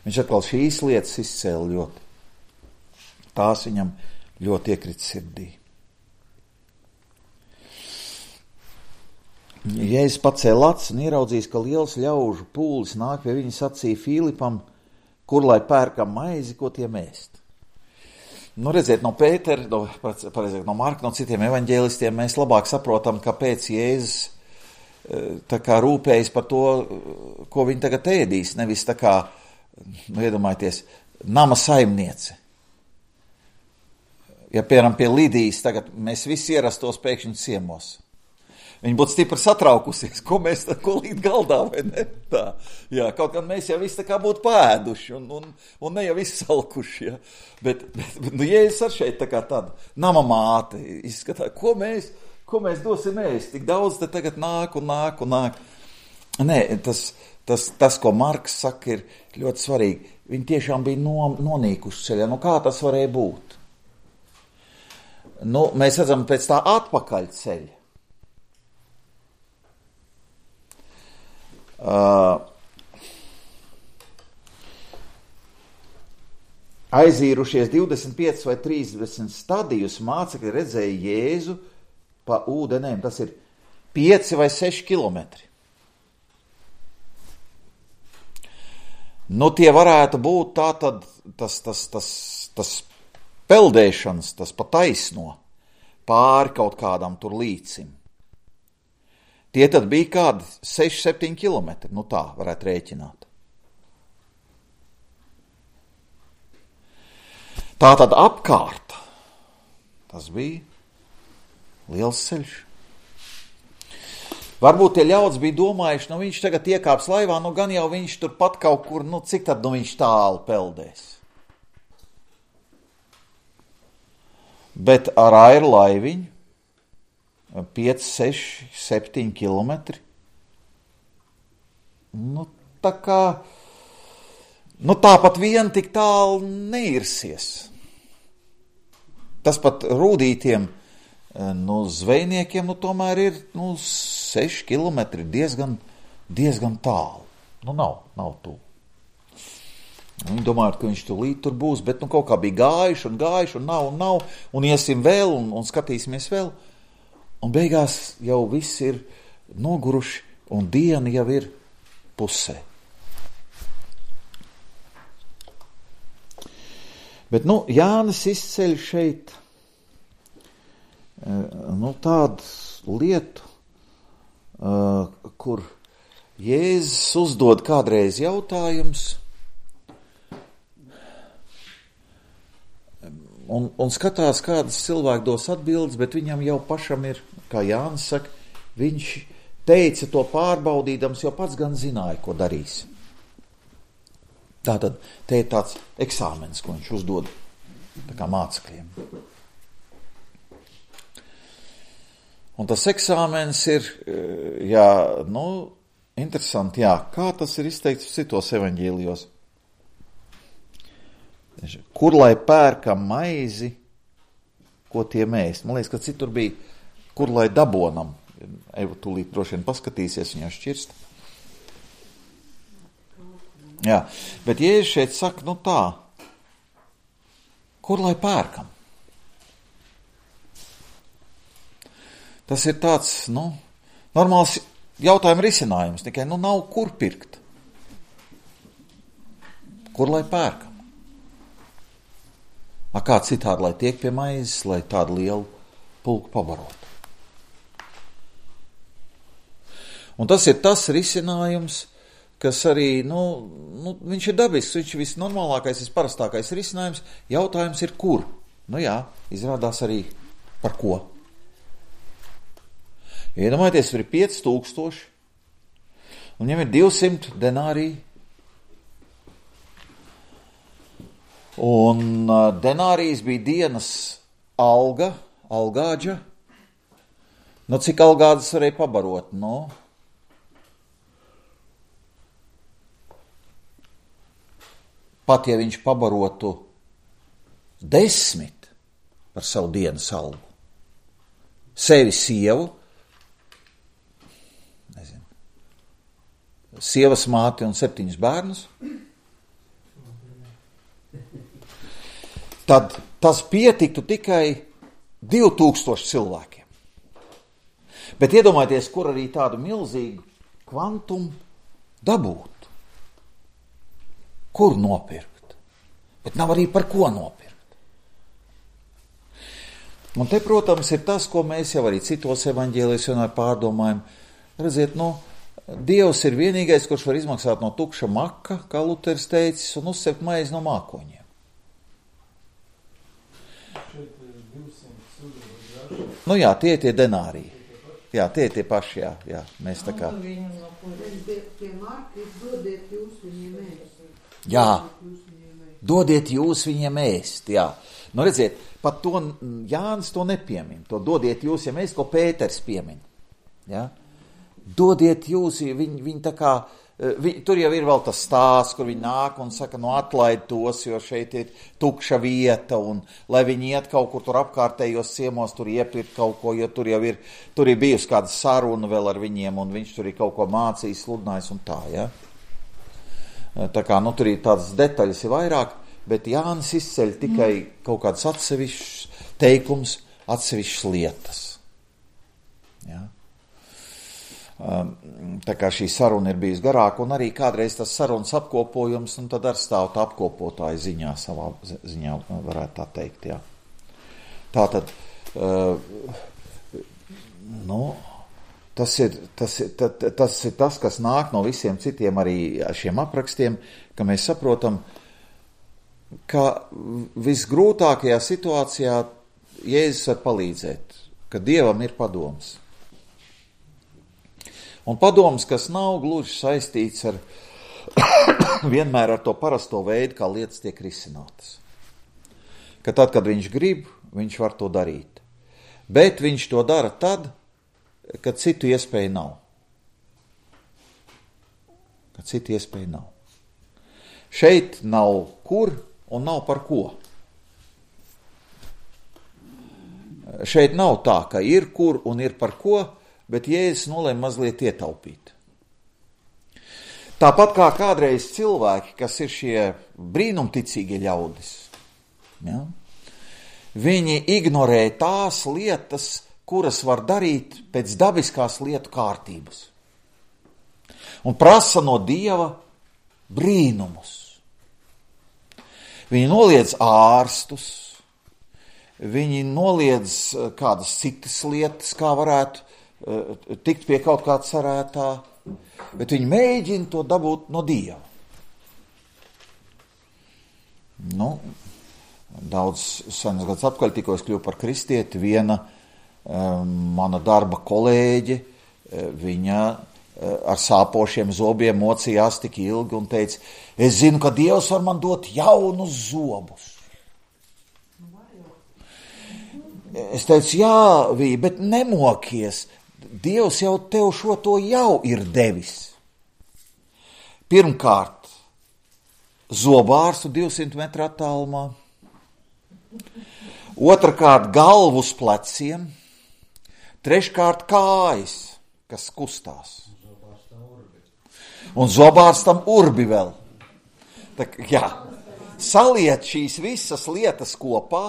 Viņš atkal šīs lietas izcēla ļoti. Tās viņam ļoti iekrita sirdī. Jēzus pacēla acis un ieraudzījis, ka liels ļaužu pūlis nāk pie viņa, sacīja Filipam, kur lai pērkam maizi, ko tiem ēst. Nu, redziet, no Pētera, no, pareizāk, no Marka, no citiem evaņģēlistiem mēs labāk saprotam, kāpēc Jēzus tā kā rūpējas par to, ko viņi tagad ēdīs, nevis tā kā, nu, iedomājieties, nama saimniece. Ja, piemēram, pie Lidijas tagad mēs visi ierastos pēkšņi ciemos. Viņi būtu stipri satraukusies, ko mēs tā, ko līdz galdā, vai ne? Tā, jā, kaut kā mēs jau visi tā kā būtu pēduši un, un, un ne jau visi salkuši, ja. Bet, bet, bet nu, Jēzus ar šeit tā kā tāda nama māte izskatā, ko mēs, ko mēs dosim ēst, tik daudz te tagad nāk un nāk un nāk. Nē, tas, tas, tas, ko Marks saka, ir ļoti svarīgi. Viņi tiešām bija no, nonīkuši ceļā. Nu, kā tas varēja būt? Nu, mēs redzam pēc tā atpakaļ ceļa. Uh, aizīrušies divdesmit pieci vai trīsdesmit stadijus mācekļi redzēja Jēzu pa ūdenēm. Tas ir pieci vai seši kilometri. Nu, tie varētu būt tā tad tas, tas, tas, tas peldēšanas, tas pa taisno pāri kaut kādam tur līcim. Tie tad bija kādi seši septiņi kilometri, nu tā varētu rēķināt. Tā tad apkārt, tas bija liels ceļš. Varbūt tie ļaudis bija domājuši, nu viņš tagad iekāps laivā, nu gan jau viņš tur pat kaut kur, nu cik tad nu viņš tālu peldēs. Bet ar airu laiviņu, pieci, seši, septiņi kilometri. Nu, tā kā, nu tāpat vien tik tālu neirsies. Tas pat rūdītiem, nu, zvejniekiem, nu, tomēr ir, nu, seši kilometri diezgan, diezgan tālu. Nu, nav, nav tu. Viņi domāja, ka viņš tūlīt tur būs, bet, nu, kaut kā bija gājuši un gājuši un nav un nav, un iesim vēl un, un skatīsimies vēl. Un beigās jau viss ir noguruši, un diena jau ir pusē. Bet, nu, Jānis izceļ šeit, nu, tādu lietu, kur Jēzus uzdod kādreiz jautājums, Un, un skatās, kādas cilvēki dos atbildes, bet viņam jau pašam ir, kā Jānis saka, viņš teica to pārbaudīdams, jo pats gan zināja, ko darīs. Tātad te ir tāds eksāmens, ko viņš uzdod tā kā mācekļiem. Un tas eksāmens ir, jā, nu, interesanti, jā, kā tas ir izteikts citos evaņģēlijos. Kur lai pērkam maizi, ko tie ēst? Man liekas, ka citur bija, kur lai dabonam. Eva tūlīt droši vien paskatīsies, viņa šķirst. Jā, bet Jēzus šeit saka, nu tā, Kur lai pērkam? Tas ir tāds, nu, normāls jautājuma risinājums, tikai, nu, nav kur pirkt. Kur lai pērkam? A kā citādi, lai tiek pie maizes, lai tādu lielu pulku pabarotu. Un tas ir tas risinājums, kas arī, nu, nu viņš ir dabisks, viņš ir visnormālākais, visparastākais risinājums. Jautājums ir, kur? Nu jā, izrādās arī par ko. Iedomājieties, ir pieci tūkstoši, un viņam ir divsimt denāriji. Un uh, denārijas bija dienas alga, algāģa. Nu, cik algādas varēja pabarot? Nu, pat ja viņš pabarotu desmit par savu dienas algu, sevi sievu, nezinu, sievas māti un septiņus bērnus, tad tas pietiktu tikai divi tūkstoši cilvēkiem. Bet iedomājieties, kur arī tādu milzīgu kvantumu dabūt. Kur nopirkt? Bet nav arī par ko nopirkt. Un te, protams, ir tas, ko mēs jau arī citos evaņģēlijos vienmēr pārdomājam. Redziet, nu, Dievs ir vienīgais, kurš var izmaksāt no tukša maka, kā Luteris teicis, un uzsept maizi no mākoņiem. Nu jā, tie tie denāriji. Jā, tie tie paši, jā, jā. Mēs tā kā... Jā, dodiet jūs viņiem ēst, jā. Nu redziet, pat to Jānis to nepiemin. To dodiet jūs viņiem ēst, ko Pēters piemin. Jā. Dodiet jūs, viņi, viņi tā kā... Vi, tur jau ir vēl tas stāsts, kur viņi nāk un saka, nu atlaid tos, jo šeit ir tukša vieta, un lai viņi iet kaut kur tur apkārtējos ciemos, tur iepirkt kaut ko, jo tur jau ir, tur ir bijusi kāda saruna vēl ar viņiem, un viņš tur ir kaut ko mācījis, sludinājis un tā, ja. Tā kā, nu tur ir tādas detaļas ir vairāk, bet Jānis izceļ tikai kaut kādas atsevišķas teikums, atsevišķas lietas. Ja. Tā kā šī saruna ir bijusi garāka, un arī kādreiz tas sarunas apkopojums, un tad ar stāvot apkopotāju ziņā, savā ziņā varētu tā teikt, jā. Tātad, uh, nu, tas ir tas, ir, tas, tas ir tas, kas nāk no visiem citiem arī šiem aprakstiem, ka mēs saprotam, ka visgrūtākajā situācijā Jēzus var palīdzēt, ka Dievam ir padoms. Un padoms, kas nav gluži saistīts ar vienmēr ar to parasto veidu, kā lietas tiek risinātas. Ka tad, kad viņš grib, viņš var to darīt. Bet viņš to dara tad, kad citu iespēju nav. Kad citu iespēju nav. Šeit nav kur un nav par ko. Šeit nav tā, ka ir kur un ir par ko, bet Jēzus nolēma mazliet ietaupīt. Tāpat kā kādreiz cilvēki, kas ir šie brīnumticīgie ļaudis, ja, viņi ignorē tās lietas, kuras var darīt pēc dabiskās lietu kārtības. Un prasa no Dieva brīnumus. Viņi noliedz ārstus, viņi noliedz kādas citas lietas, kā varētu tikt pie kaut kāda cerētā, bet viņi mēģina to dabūt no Dieva. Nu, daudz senas gadus atpakaļ tikko es kļuvu par kristieti, viena um, mana darba kolēģe, viņa ar sāpošiem zobiem mocījās tik ilgi un teica, es zinu, ka Dievs var man dot jaunus zobus. Es teicu, jā, Vī, bet nemokies, Dievs jau tev šo to jau ir devis. Pirmkārt, zobārstu divsimt metru attālumā. Otrakārt, galvu uz pleciem. Treškārt, kājas, kas kustās. Un zobārstam urbi vēl. Tā, jā, saliet šīs visas lietas kopā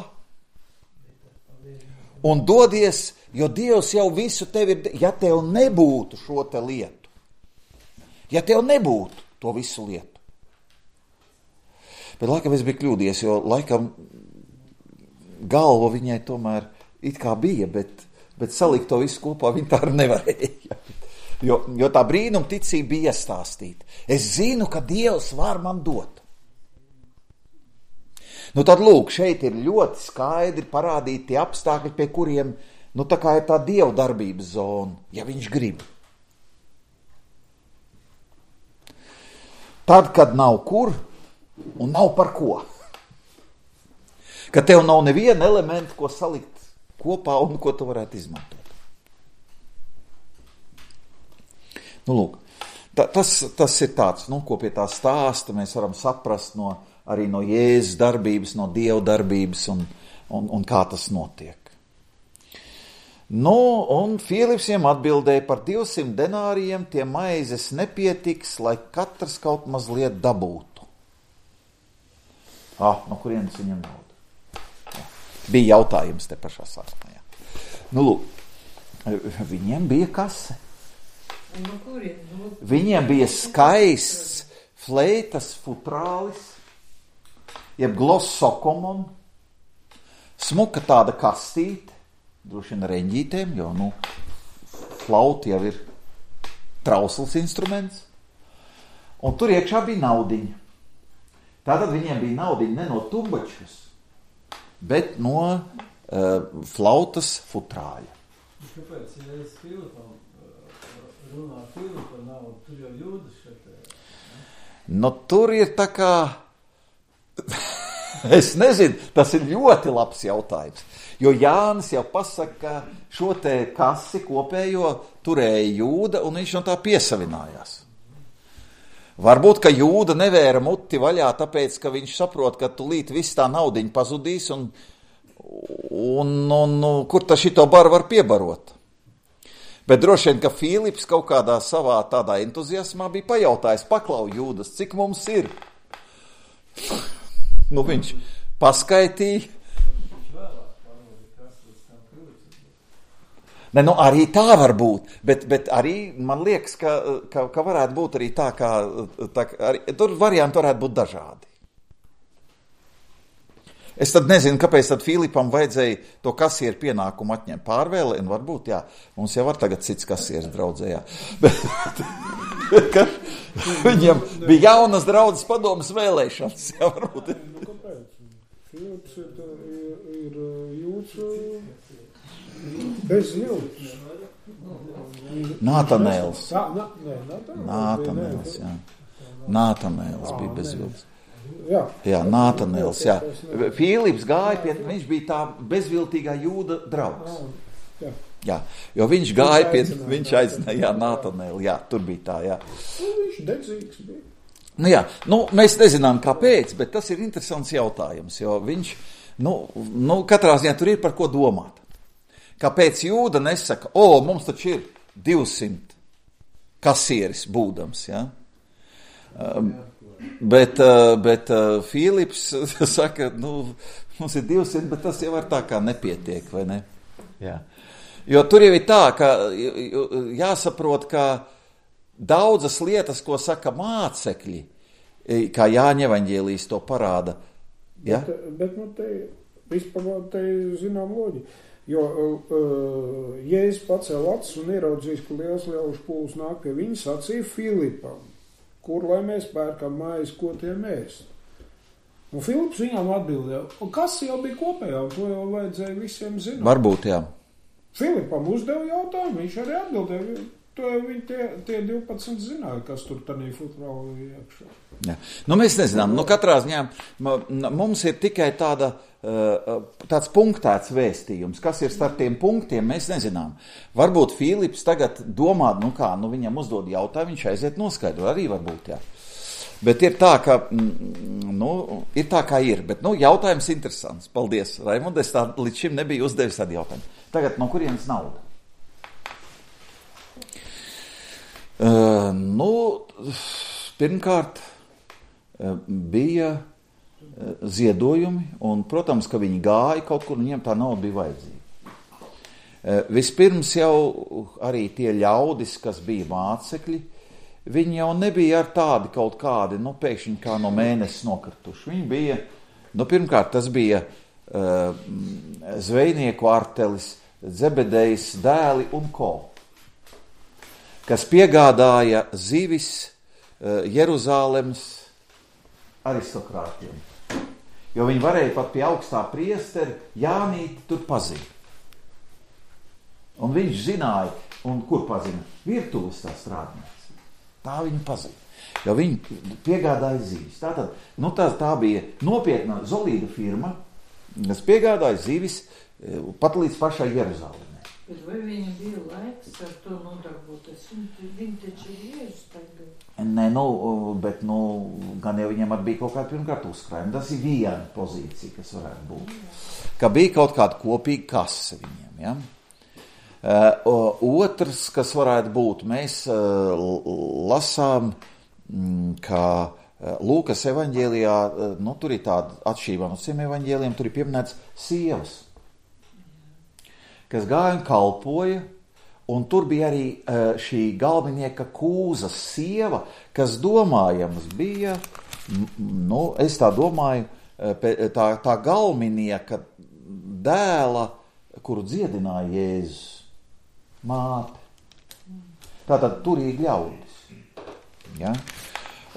un dodies, jo Dievs jau visu tevi ir, ja tev nebūtu šo te lietu, ja tev nebūtu to visu lietu. Bet laikam es biju kļūdies, jo laikam galva viņai tomēr it kā bija, bet, bet salikt to visu kopā viņa tā arī nevarēja. Jo, jo tā brīnuma ticība bija iestāstīta. Es zinu, ka Dievs var man dot. Nu tad lūk, šeit ir ļoti skaidri parādīti tie apstākļi, pie kuriem, nu tā kā ir tā Dieva darbības zona, ja viņš grib. Tad, kad nav kur un nav par ko. Ka tev nav neviena elementa, ko salikt kopā un ko tu varētu izmantot. Nu, lūk, ta, tas, tas ir tāds, nu, ko pie tā stāsta mēs varam saprast no, arī no Jēzus darbības, no Dieva darbības un, un, un kā tas notiek. Nu, un Filips viņam atbildēja par divsimt denārijiem, tie maizes nepietiks, lai katrs kaut mazliet dabūtu. Ah, no kurienes viņam nauda? Jā. Bija jautājums te pašā sāsmā, jā. Nu, lūk, viņiem bija kase. No kurien? No... Viņiem bija skaists fleitas futrālis, jeb glossokomon, smuka tāda kastīte, droši vien reņģītēm, jo, nu, flauta jau ir trausls instruments, un tur iekšā bija naudiņa. Tātad viņiem bija naudiņa ne no tumbačkas, bet no uh, flautas futrāļa. Kāpēc, ja es Filipam runā Filipa naudu, tur jau Jūdas šeit? Nu, tur ir tā kā, es nezinu, tas ir ļoti labs jautājums, jo Jānis jau pasaka, ka šo te kasi kopējo turēja Jūda, un viņš no tā piesavinājās. Varbūt, ka Jūda nevēra muti vaļā, tāpēc, ka viņš saprot, ka tulīt viss tā naudiņa pazudīs, un, un, un, un kur ta šito baru var piebarot. Bet droši vien, ka Filips kaut kādā savā tādā entuziasmā bija pajautājis, paklau Jūdas, cik mums ir? Nu, viņš paskaitīja. Ne, nu, arī tā var būt, bet, bet arī man liekas, ka, ka, ka varētu būt arī tā, kā, tā arī, tur varianti varētu būt dažādi. Es tad nezinu, kāpēc tad Filipam vajadzēja to kasieru pienākumu atņemt pārvēle, un varbūt, jā, mums jau var tagad cits kasieris draudzē, jā. Bet, ka viņam bija jaunas draudzes padomas vēlēšanas, jā, varbūt. Nu, kāpēc? Filips ir, ir, ir jūts bez viltus. Nātanēls. Nā, nā, nē, Nātanēls. Nātanēls, jā. Nātanēls bija bez viltus. Jā, jā Nātanēls, jā. Filips gāja pie, viņš bija tā bezviltīgā Jūda draugs. Jā. Jā, jo viņš gāja pie, viņš aicināja, jā, Nātanēli, jā, tur bija tā, jā. Viņš dedzīgs bija. Nu jā, nu, mēs nezinām kāpēc, bet tas ir interesants jautājums, jo viņš, nu, nu katrā ziņā tur ir par ko domāt. Kāpēc Jūda nesaka, o, mums taču ir divsimt kasieris būdams, jā? Um, Bet, bet Filips saka, nu, mums ir divsimt, bet tas jau var tā kā nepietiek, vai ne? Jā. Jo tur jau ir tā, ka jāsaprot, ka daudzas lietas, ko saka mācekļi, kā Jāņa evaņģēlijs to parāda. Ja? Bet, bet nu, te vispār te zinām loģi. Jo uh, Jēzus pacēla acis un ieraudzījis, ka liels ļaužu pūls nāk pie viņa, sacīja Filipam, kur lai mēs pērkam maizi, ko tie mēs. Un Filips viņām atbildēja, un kas jau bija kopējā, un to jau vajadzēja visiem zināt. Varbūt, jā. Filipam uzdeva jautājumu, viņš arī atbildēja, to viņi tie, tie divpadsmit zināja, kas tur tanī futrāli iekšā. Jā. Nu, mēs nezinām, nu, katrā ziņā mums ir tikai tāda, tāds punktēts vēstījums, kas ir starp tiem punktiem, mēs nezinām. Varbūt Filips tagad domā, nu kā, nu viņam uzdod jautājumu, viņš aiziet noskaidro, arī varbūt, jā. Bet ir tā, ka, nu, ir tā, kā ir, bet, nu, jautājums interesants. Paldies, Raimond, es tā līdz šim nebiju uzdevis tādu jautājumu. Tagad, no kurienes nauda? Uh, nu, pirmkārt, uh, bija ziedojumi, un, protams, ka viņi gāja kaut kur, un viņiem tā nauda bija vajadzīga. Vispirms jau arī tie ļaudis, kas bija mācekļi, viņi jau nebija ar tādi kaut kādi, nu, pēkšņi kā no mēnesis nokrituši. Viņi bija, nu, pirmkārt, tas bija uh, zvejnieku artelis, Zebedejs dēli un ko, kas piegādāja zivis uh, Jeruzālemes aristokrātiem. Jo viņi varēja pat pie augstā priesteri Jānīti tur pazīt. Un viņš zināja, un kur pazina? Virtuves tā strādnieks. Tā viņa pazina. Jo viņi piegādāja zivis. Tātad, nu tā, tā bija nopietna solīda firma, kas piegādāja zivis pat līdz pašai Jeruzālēmē. Bet vai viņa bija laiks ar to nodarboties? Viņi taču ir Jēzus tagad. Nē, nu, bet, nu, gan jau viņiem arī bija kaut kāda pirmkārt uzkrājuma. Tas ir viena pozīcija, kas varētu būt. Ka bija kaut kāda kopīga kase viņiem, ja? Uh, otrs, kas varētu būt, mēs uh, lasām, mm, ka uh, Lūkas evaņģēlijā, uh, nu, tur ir tāda atšķirība no citiem evaņģēlijiem, tur ir pieminēts sievas, kas gāja un kalpoja, un tur bija arī uh, šī galvenieka Kūzas sieva, kas domājams bija, nu, es tā domāju, tā, tā galvenieka dēla, kuru dziedināja Jēzus. Māte. Tātad turīgi ļaudis. Ja?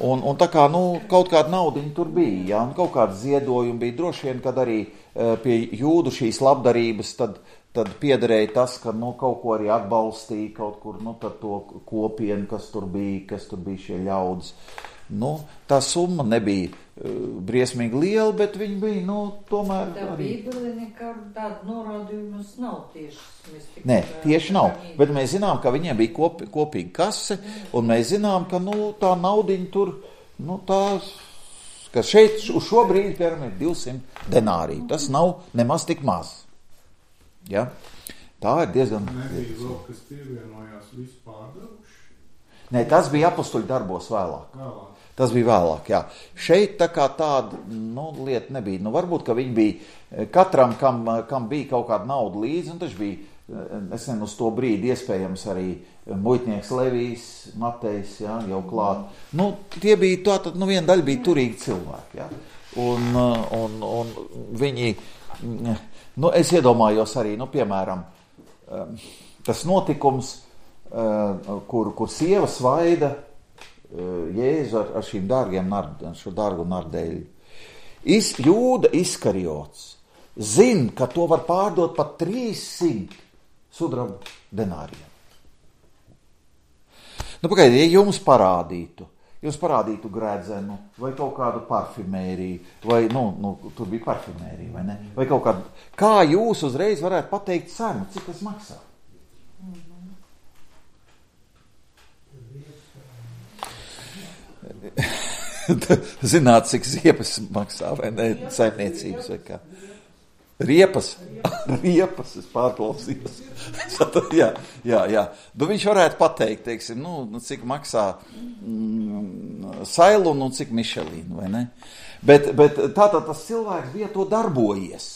Un, un tā kā, nu, kaut kāda naudiņa tur bija, ja? Un kaut kāda ziedojuma bija. Droši vien, kad arī uh, pie jūdu šīs labdarības, tad, tad piederēja tas, ka, nu, kaut ko arī atbalstīja kaut kur, nu, tad to kopienu, kas tur bija, kas tur bija šie ļaudis. Nu, tā summa nebija uh, briesmīgi liela, bet viņi bija, nu, tomēr... Tā arī... Bībele nekādu tādu norādījumus nav tieši. Nē, tieši nav, bet mēs zinām, ka viņiem bija kop, kopīga kase, un mēs zinām, ka, nu, tā naudiņa tur, nu, tā, ka šeit uz šo brīdi, piemēram, ir divsimt denāriju. Tas nav nemaz tik maz. Ja? Tā ir diezgan... Nebija vēl, kas pievienojās vispārdevuši? Nē, tas bija apustuļu darbos vēlāk. Vēlāk. Tas bija vēlāk, jā. Šeit tā kā tāda, nu, lieta nebija. Nu, varbūt, ka viņi bija, katram, kam, kam bija kaut kāda nauda līdzi, un taču bija, es nezinu, uz to brīdi iespējams arī muitnieks Levijs, Matejs, jā, jau klāt. Nu, tie bija, tā tad, nu, viena daļa bija turīgi cilvēki, jā. Un, un, un viņi, nu, es iedomājos arī, nu, piemēram, tas notikums, kur, kur sieva svaida Jēzu ar, ar šīm dārgiem nard, šo dārgu nardēļu. Is, Jūda Iskariots zin, ka to var pārdot pat trīssimt sudraba denāriem. Nu, pagaidiet, ja jums parādītu, jums parādītu gredzenu, vai kaut kādu parfimēriju, vai, nu, nu, tur bija parfimērija, vai ne? Vai kaut kādu, kā jūs uzreiz varētu pateikt cenu, cik tas maksā? Zināt, cik ziepas maksā, vai ne, saimniecības, vai kā. Riepas, riepas, es pārklausījos. jā, jā, jā. Nu, viņš varētu pateikt, teiksim, nu, cik maksā mm, Sailun un cik Mišelīnu, vai ne? Bet, bet tātad tas cilvēks bija to darbojies.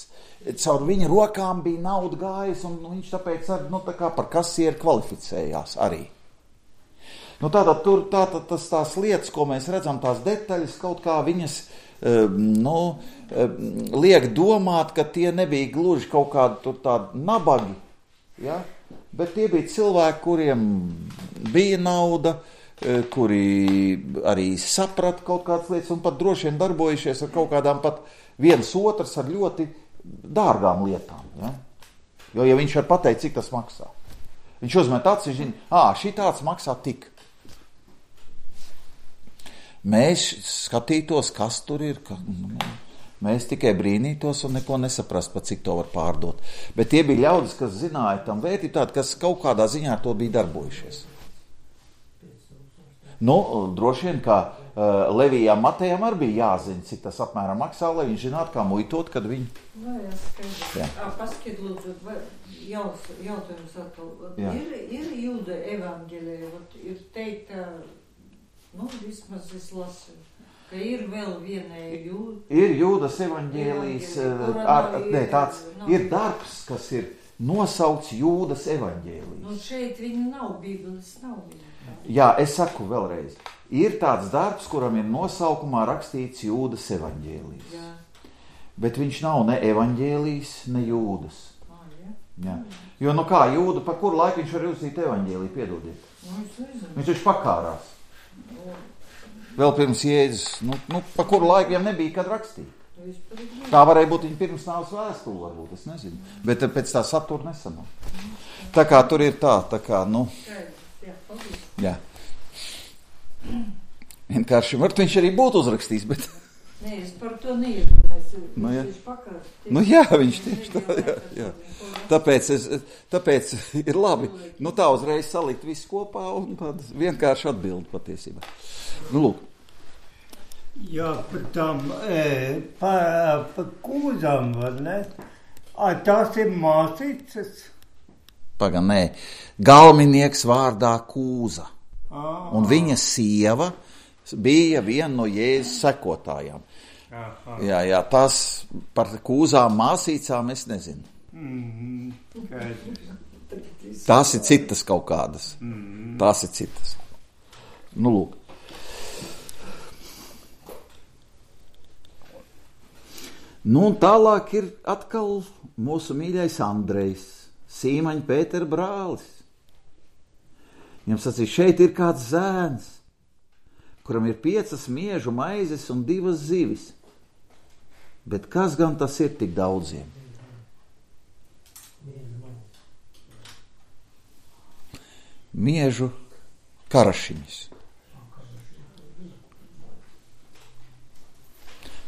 Caur viņa rokām bija nauda gājis, un viņš tāpēc arī, nu, tā kā par kasieru kvalificējās arī. Nu, tātad tur tātad tas tās lietas, ko mēs redzam, tās detaļas, kaut kā viņas, nu, liek domāt, ka tie nebija gluži kaut kādi tur tādi nabagi, ja? Bet tie bija cilvēki, kuriem bija nauda, kuri arī saprata kaut kādas lietas un pat droši vien darbojušies ar kaut kādām pat viens otrs ar ļoti dārgām lietām, ja? Jo, ja viņš var pateikt, cik tas maksā. Viņš uzmet acis, viņš zina, ā, šī tāds maksā tik. Mēs skatītos, kas tur ir, ka, nu, mēs tikai brīnītos un neko nesaprast, pa cik to var pārdot. Bet tie bija ļaudis, kas zināja tam vērtību tādu, kas kaut kādā ziņā ar to bija darbojušies. Nu, droši vien, ka uh, Levijam Matejam arī bija jāzina, cik tas apmēram maksā, lai viņš zinātu, kā muitot, kad viņi... Vai, es jā. Paskiet, lūdzu, vai jaus, jautājums atkal. Ir, ir Jūda evaņģēlija, ir teikt, nu, vismaz es lasu. Ka ir vēl viena jūda. Ir Jūdas evaņģēlijs, ar, ne, tāds nav. Ir darbs, kas ir nosaukts Jūdas evaņģēlijs. Nu, šeit viņa nav, Bībeles nav viņa. Jā, es saku vēlreiz. Ir tāds darbs, kuram ir nosaukumā rakstīts Jūdas evaņģēlijs. Jā. Bet viņš nav ne evaņģēlijs, ne Jūdas. Ah, jā. Jā. Jo, nu kā, Jūda, pa kuru laiku viņš var uzīt evaņģēliju, piedodiet? Nu, es nezinu. Viņš taču pakārās. Vēl pirms Jēzus, nu, nu pa kuru laiku viņam nebija, kad rakstīt. Tā varēja būt viņa pirms nāves vēstule, varbūt, es nezinu. Bet pēc tā satura nesanāk. Tā kā tur ir tā, tā kā, nu... Jā, paldies. Jā. Vienkārši, varbūt viņš arī būtu uzrakstījis, bet... Nē, es par to neiedomājos. Nu, jā. Viņš pakārs. Nu jā, viņš tieši tā, jā, jā. Tāpēc, es, tāpēc ir labi, nu tā uzreiz salikt visu kopā un tāda vienkārši atbildi patiesībā. Nu, lūk. Jā, par tām, e, pa, pa kūzām, var ne? A, tās ir māsīcas? Paga, nē. Galminieks vārdā Kūza. Aha. Un viņa sieva bija viena no Jēzus sekotājām. Aha. Jā, jā, tas par Kūzām māsīcām es nezinu. Mm-hmm. Tās ir citas kaut kādas. Mm-hmm. Tās ir citas. Nu, lūk. Nu, un tālāk ir atkal mūsu mīļais Andrejs, Sīmaņa Pētera brālis. Viņam sacīja, šeit ir kāds zēns, kuram ir piecas miežu maizes un divas zivis. Bet kas gan tas ir tik daudziem? Miežu karašiņas.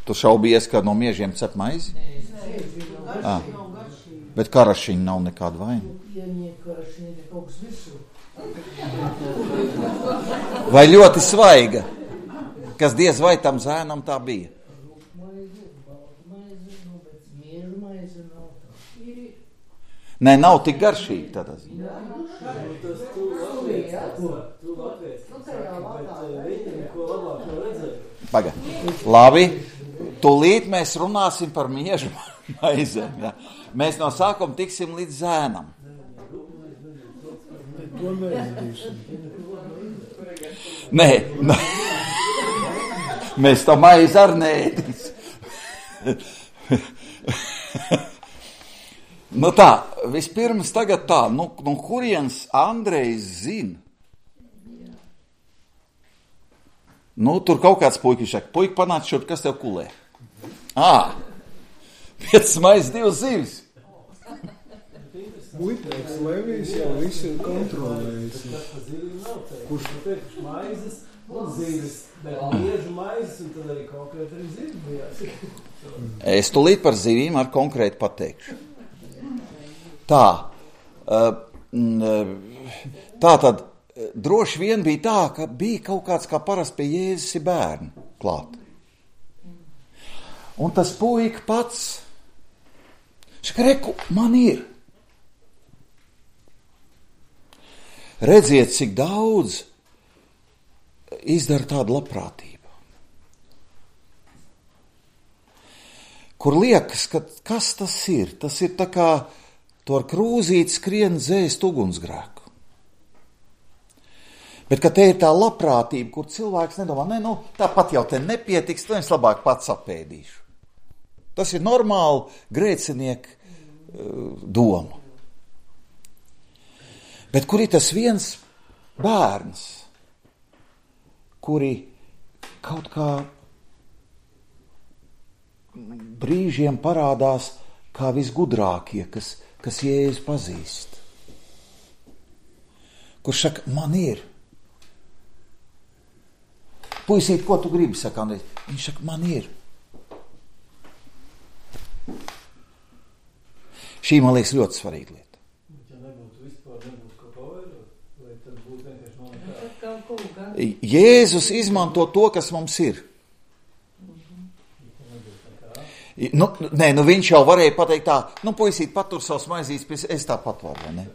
Tu šaubies, ka no miežiem cep maizi? À, bet karašiņi nav nekāda vaina. Vai ļoti svaiga, kas diez vai tam zēnam tā bija? Nē, nav tik garšīgi tādā ziņā. Paga. Labi, tūlīt mēs runāsim par miežu maizēm. Jā. Mēs no sākuma tiksim līdz zēnam. Nē, nē. Mēs to maizi ar neēdīs. Nu tā, vispirms tagad tā, nu, nu kurienes Andrejs zina? Nu, tur kaut kāds puikiņš saka, puiki panāc šurp, kas tev kulē? Ā, piecas maizes, divas zivis. Muitnieks Levijs jau visu ir kontrolējis. Kurš pirkš maizes un zivis, bet miežu maizes un tad arī konkrēti arī zivis bijās. Es tūlīt par zivīm ar konkrēti pateikšu. Tā, tā tad droši vien bija tā, ka bija kaut kāds kā parasti pie Jēzus ir bērni klāt. Un tas puika pats, šaka reku, man ir. Redziet, cik daudz izdara tāda labprātība. Kur liekas, ka kas tas ir? Tas ir tā kā to ar krūzīti skrien dzēst ugunsgrēku. Bet, ka te ir tā labprātība, kur cilvēks nedomā, ne, nu, tāpat jau te nepietiks, to es labāk pats apēdīšu. Tas ir normāli grēcinieku uh, doma. Bet kur ir tas viens bērns, kuri kaut kā brīžiem parādās kā visgudrākie, kas kas Jēzus pazīst. Kurš saka, man ir. Puisīt, ko tu gribi, saka Andrejs? Viņš saka, man ir. Šī, man liekas, ļoti svarīga lieta. Ja nebūtu vispār, nebūtu ko pavairot, vai tad būtu vienkārši monetā? Jēzus izmanto to, kas mums ir. Nu, nē, nu viņš jau varēja pateikt tā, nu, puisīt, patur savus maizītes, es tā patvaru, vai ne?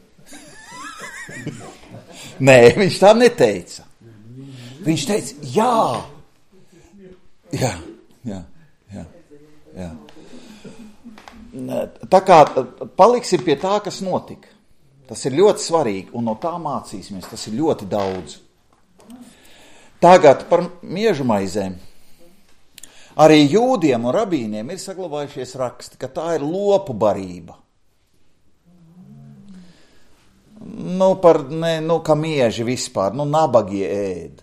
Nē, viņš tā neteica. Viņš teica, jā, Jā, jā, jā, jā. Tā kā paliksim pie tā, kas notika. Tas ir ļoti svarīgi, un no tā mācīsimies. Tas ir ļoti daudz. Tagad par miežu maizēm. Arī jūdiem un rabīniem ir saglabājušies raksti, ka tā ir lopu barība. Nu, par, ne, nu, kā mieži vispār, nu, nabagie ēd.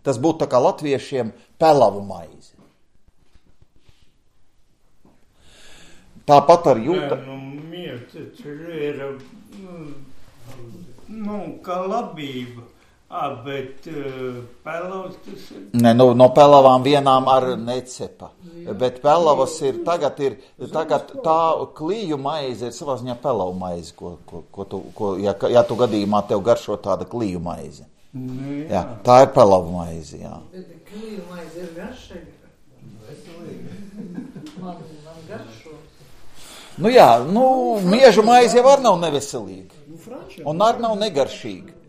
Tas būtu tā kā latviešiem pelavu maizi. Tāpat ar jūta... Nu, mieži ir, nu, kā labība. Ah, bet uh, pelavs tas ir... Ne, nu, no pelavām vienām ar necepa. Bet pelavas ir, tagad ir, tagad tā klīju maize ir savā ziņā pelavu maize, ko, ko, ko tu, ko, ja, ja tu gadījumā tev garšo tāda klīju maize. Nu, jā. Jā, tā ir pelavu maize, jā. Bet klīju maize ir garšīga. Man, man garšo. Nu jā, nu, miežu maize jau arī nav neveselīga. Un arī nav negaršīga.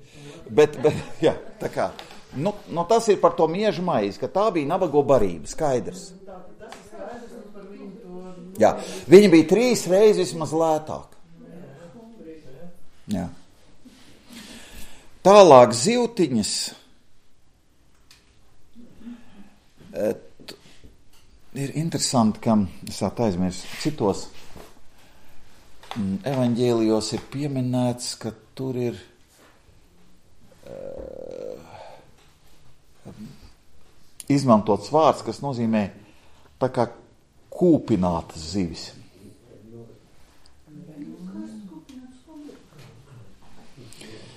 Bet, bet, jā, tā kā, nu, nu tas ir par to miežu maizi, ka tā bija nabago barība, skaidrs. Jā, viņa bija trīs reizes vismaz lētāk. Jā. Tālāk zivtiņas. Et, ir interesanti, ka, es tā aizmirsu, citos evaņģēlijos ir pieminēts, ka tur ir izmantots vārds, kas nozīmē tā kā kūpinātas zivis.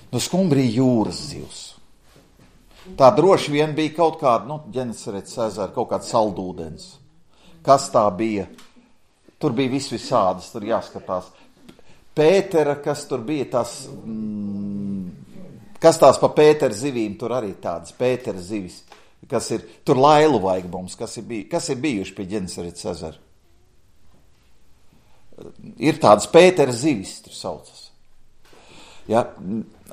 Nu, skumbrija jūras zivs. Tā droši vien bija kaut kāda, nu, Ģenesarets ezera, kaut kāds saldūdens. Kas tā bija? Tur bija vis visādas, tur jāskatās. Pētera, kas tur bija, tas... Mm, kas tās pa Pētera zivīm, tur arī tādas Pētera zivis, kas ir, tur lailu vajag mums, kas ir, bij, kas ir bijuši pie Ģenesarets ezera. Ir tādas Pētera zivis, tur saucas. Ja,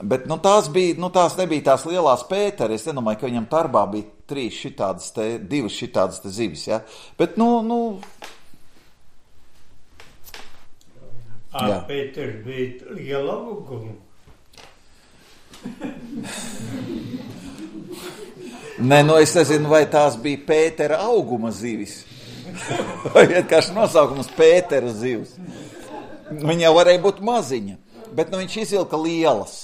bet, nu, tās bija, nu, tās nebija tās lielās Pētera, es nedomāju, ka viņam tarbā bija trīs šitādas te, divas šitādas te zivis, ja, bet, nu, nu... Ah, Pēters bija liela uguma. Nē, nu es nezinu, vai tās bija Pētera auguma zivis. Vai vienkārši nosaukums Pētera zivs. Viņa jau varēja būt maziņa, bet nu viņš izvilka lielas.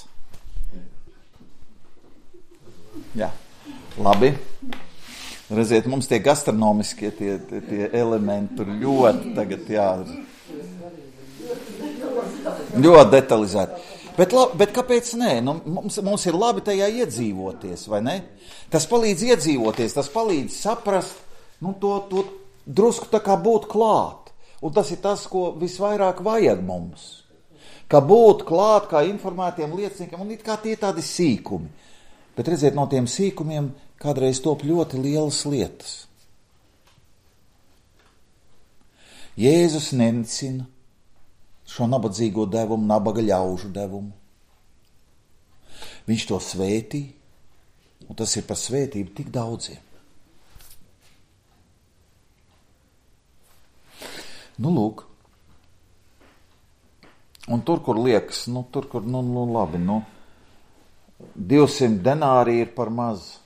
Jā, labi. Redziet, mums tie gastronomiskie tie, tie, tie elementi tur ļoti tagad, jā, ļoti detalizēti. Bet, labi, bet kāpēc nē? Nu, mums, mums ir labi tajā iedzīvoties, vai ne? Tas palīdz iedzīvoties, tas palīdz saprast, nu, to, to drusku tā kā būt klāt. Un tas ir tas, ko visvairāk vajag mums. Kā būt klāt, kā informētiem lieciniekiem, un it kā tie tādi sīkumi. Bet redziet, no tiem sīkumiem kādreiz top ļoti lielas lietas. Jēzus nenicina šo nabadzīgo devumu, nabaga ļaužu devumu. Viņš to svētī, un tas ir par svētību tik daudziem. Nu, lūk. Un tur, kur liekas, nu, tur, kur, nu, nu labi, nu, divsimt denāri ir par maz.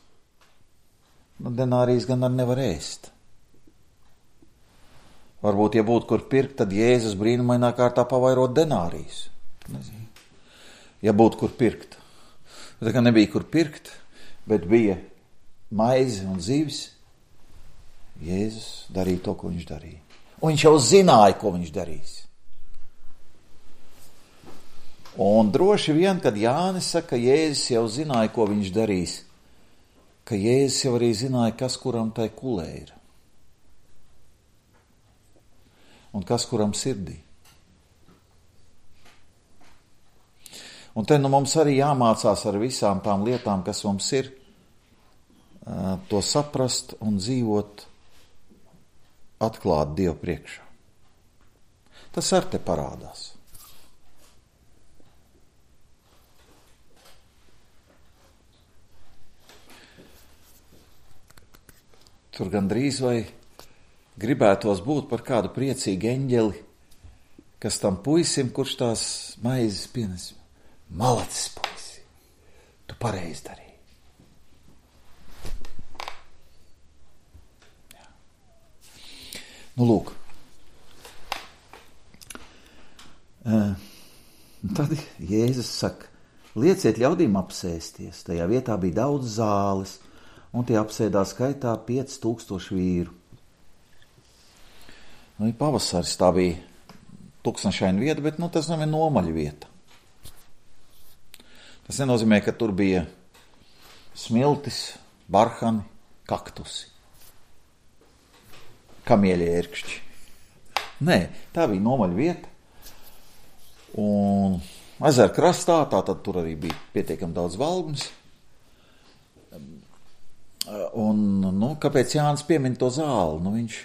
Nu, denārijas gan ar nevar ēst. Varbūt, ja būtu kur pirkt, tad Jēzus brīnumainā kārtā pavairot denārijas. Nezinu. Ja būtu kur pirkt. Tā kā nebija kur pirkt, bet bija maize un zivis, Jēzus darīja to, ko viņš darīja. Un viņš jau zināja, ko viņš darīs. Un droši vien, kad Jānis saka, ka Jēzus jau zināja, ko viņš darīs, ka Jēzus jau arī zināja, kas kuram tai kulē ir. Un kas kuram sirdī. Un te nu mums arī jāmācās ar visām tām lietām, kas mums ir, to saprast un dzīvot atklāt Dievu priekšā. Tas ar te parādās. tur gandrīz vai gribētos būt par kādu priecīgu eņģeli, kas tam puisim, kurš tās maizes pienes. Malacis, puisi, tu pareizi darīji. Jā. Nu, lūk. Uh, tad Jēzus saka, lieciet ļaudīm apsēsties. Tajā vietā bija daudz zāles, un tie apsēdās skaitā pieci tūkstoši vīru. Nu, ir pavasaris, tā bija tuksnašaina vieta, bet nu, tas nav nomaļa vieta. Tas nenozīmē, ka tur bija smiltis, barhani, kaktusi, kamieļa ērkšķi. Nē, tā bija nomaļa vieta. Un ezera krastā, tātad tur arī bija pietiekami daudz valgums. Un, nu, kāpēc Jānis piemin to zāli? Nu, viņš...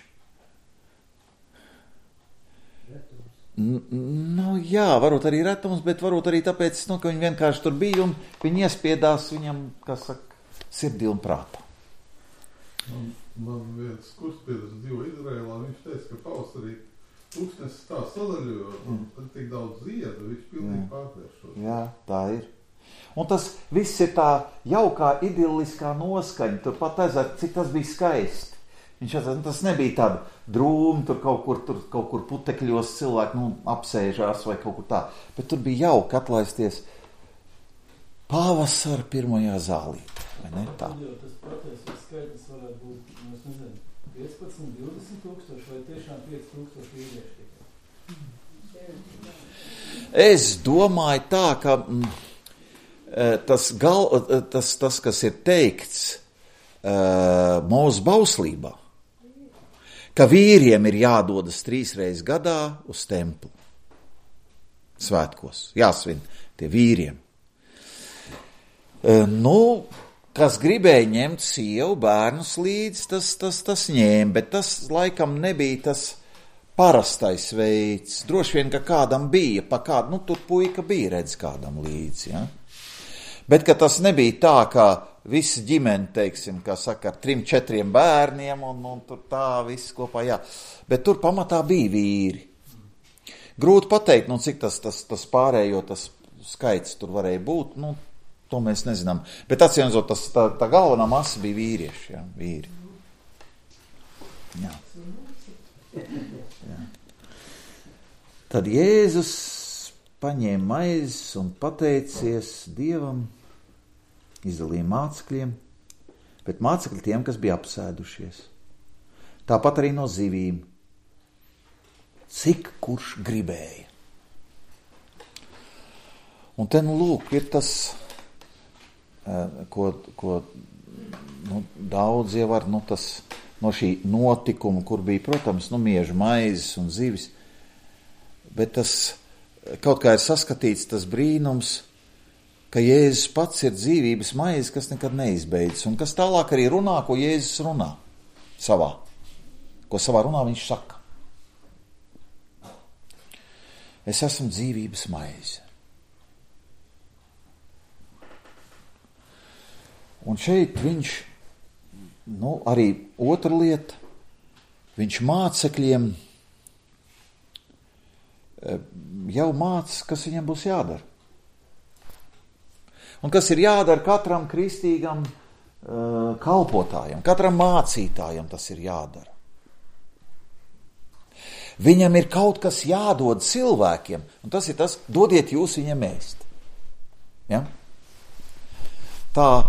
Nu, jā, varbūt arī retums, bet varbūt arī tāpēc, nu, ka viņi vienkārši tur bija un viņi iespiedās viņam, kas saka, sirdī un prātā. Man, man viens kurspiedas dzīvo Izrēlā, viņš teica, ka pavasarī tūkstnesis tā sadaļojo, un tad tik daudz ziedu, viņš pilnīgi pārvēršot. Jā, tā ir. Un tas viss ir tā jaukā, idilliskā noskaņa, tur pat ezert, cik tas bija skaisti. Viņš atzīt, tas nebija tāda drūma, tur kaut kur, tur kaut kur putekļos cilvēki nu, apsēžās vai kaut kur tā, bet tur bija jauki atlaisties pavasara pirmajā zālī, vai ne tā? Tas patiesais skaitlis varētu būt, es nezinu, piecpadsmit, divdesmit tūkstoši vai tiešām pieci tūkstoši vīrieši tikai? Es domāju tā, ka mm, tas, gal, tas, tas, kas ir teikts uh, mūsu bauslībā, ka vīriem ir jādodas trīs reizes gadā uz templi. Svētkos. Jāsvin tie vīriem. E, nu, kas gribēja ņemt sievu, bērnus līdzi, tas, tas, tas ņēma, bet tas laikam nebija tas parastais veids. Droši vien, ka kādam bija, pa kādu, nu, tur puika bija redz kādam līdzi, ja? Bet, ka tas nebija tā, ka visi ģimeni, teiksim, kā saka, ar trim, četriem bērniem un, un tur tā viss kopā, jā. Bet tur pamatā bija vīri. Grūti pateikt, nu, cik tas, tas, tas pārējo, tas skaits tur varēja būt, nu, to mēs nezinām. Bet atcīmredzot, tas tā, tā galvenā masa bija vīrieši, jā, vīri. Jā. Jā. Tad Jēzus paņēma maizes un pateicies Dievam, izdalīja mācekļiem, bet mācekļi tiem, kas bija apsēdušies. Tāpat arī no zivīm. Cik kurš gribēja. Un te, nu, lūk, ir tas, ko, ko nu, daudz jau var, nu, tas no šī notikuma, kur bija, protams, nu, miežu maizes un zivis, bet tas kaut kā ir saskatīts tas brīnums, ka Jēzus pats ir dzīvības maizes, kas nekad neizbeidzas, un kas tālāk arī runā, ko Jēzus runā savā, ko savā runā viņš saka. Es esmu dzīvības maize. Un šeit viņš, nu, arī otra lieta, viņš mācekļiem jau māca, kas viņam būs jādara. Un kas ir jādara katram kristīgam uh, kalpotājam, katram mācītājam tas ir jādara. Viņam ir kaut kas jādod cilvēkiem, un tas ir tas, dodiet jūs viņam ēst. Ja? Tā uh,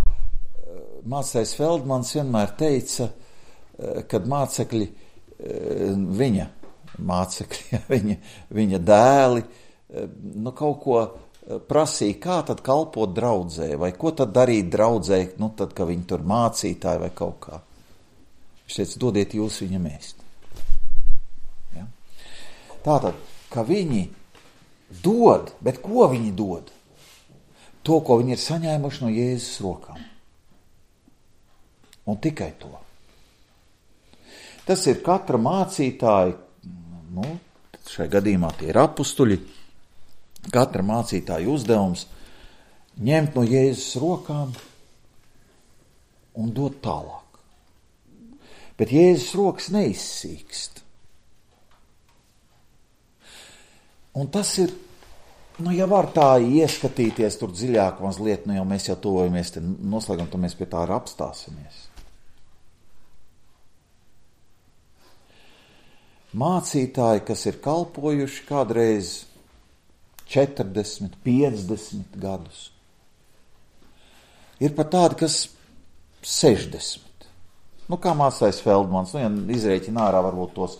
mācītājs Feldmans vienmēr teica, uh, kad mācekļi, uh, viņa mācekļi, viņa, viņa dēli, uh, nu kaut ko prasīja, kā tad kalpot draudzē, vai ko tad darīt draudzē, nu tad, ka viņi tur mācītāji vai kaut kā. Viņš teica, dodiet jūs viņam ēst. Ja? Tātad, ka viņi dod, bet ko viņi dod? To, ko viņi ir saņēmuši no Jēzus rokām. Un tikai to. Tas ir katra mācītāja, nu, šai gadījumā tie ir apustuļi, katra mācītāja uzdevums ņemt no Jēzus rokām un dot tālāk. Bet Jēzus rokas neizsīkst. Un tas ir, nu, ja var tā ieskatīties tur dziļāk mazliet, nu, jau mēs jau tuvojamies te noslēgam, tad mēs pie tā arī apstāsimies. Mācītāji, kas ir kalpojuši kādreiz četrdesmit, piecdesmit gadus, ir pat tādi, kas sešdesmit. Nu, kā mācājs Feldmans, nu, ja izrēķina ārā varbūt tos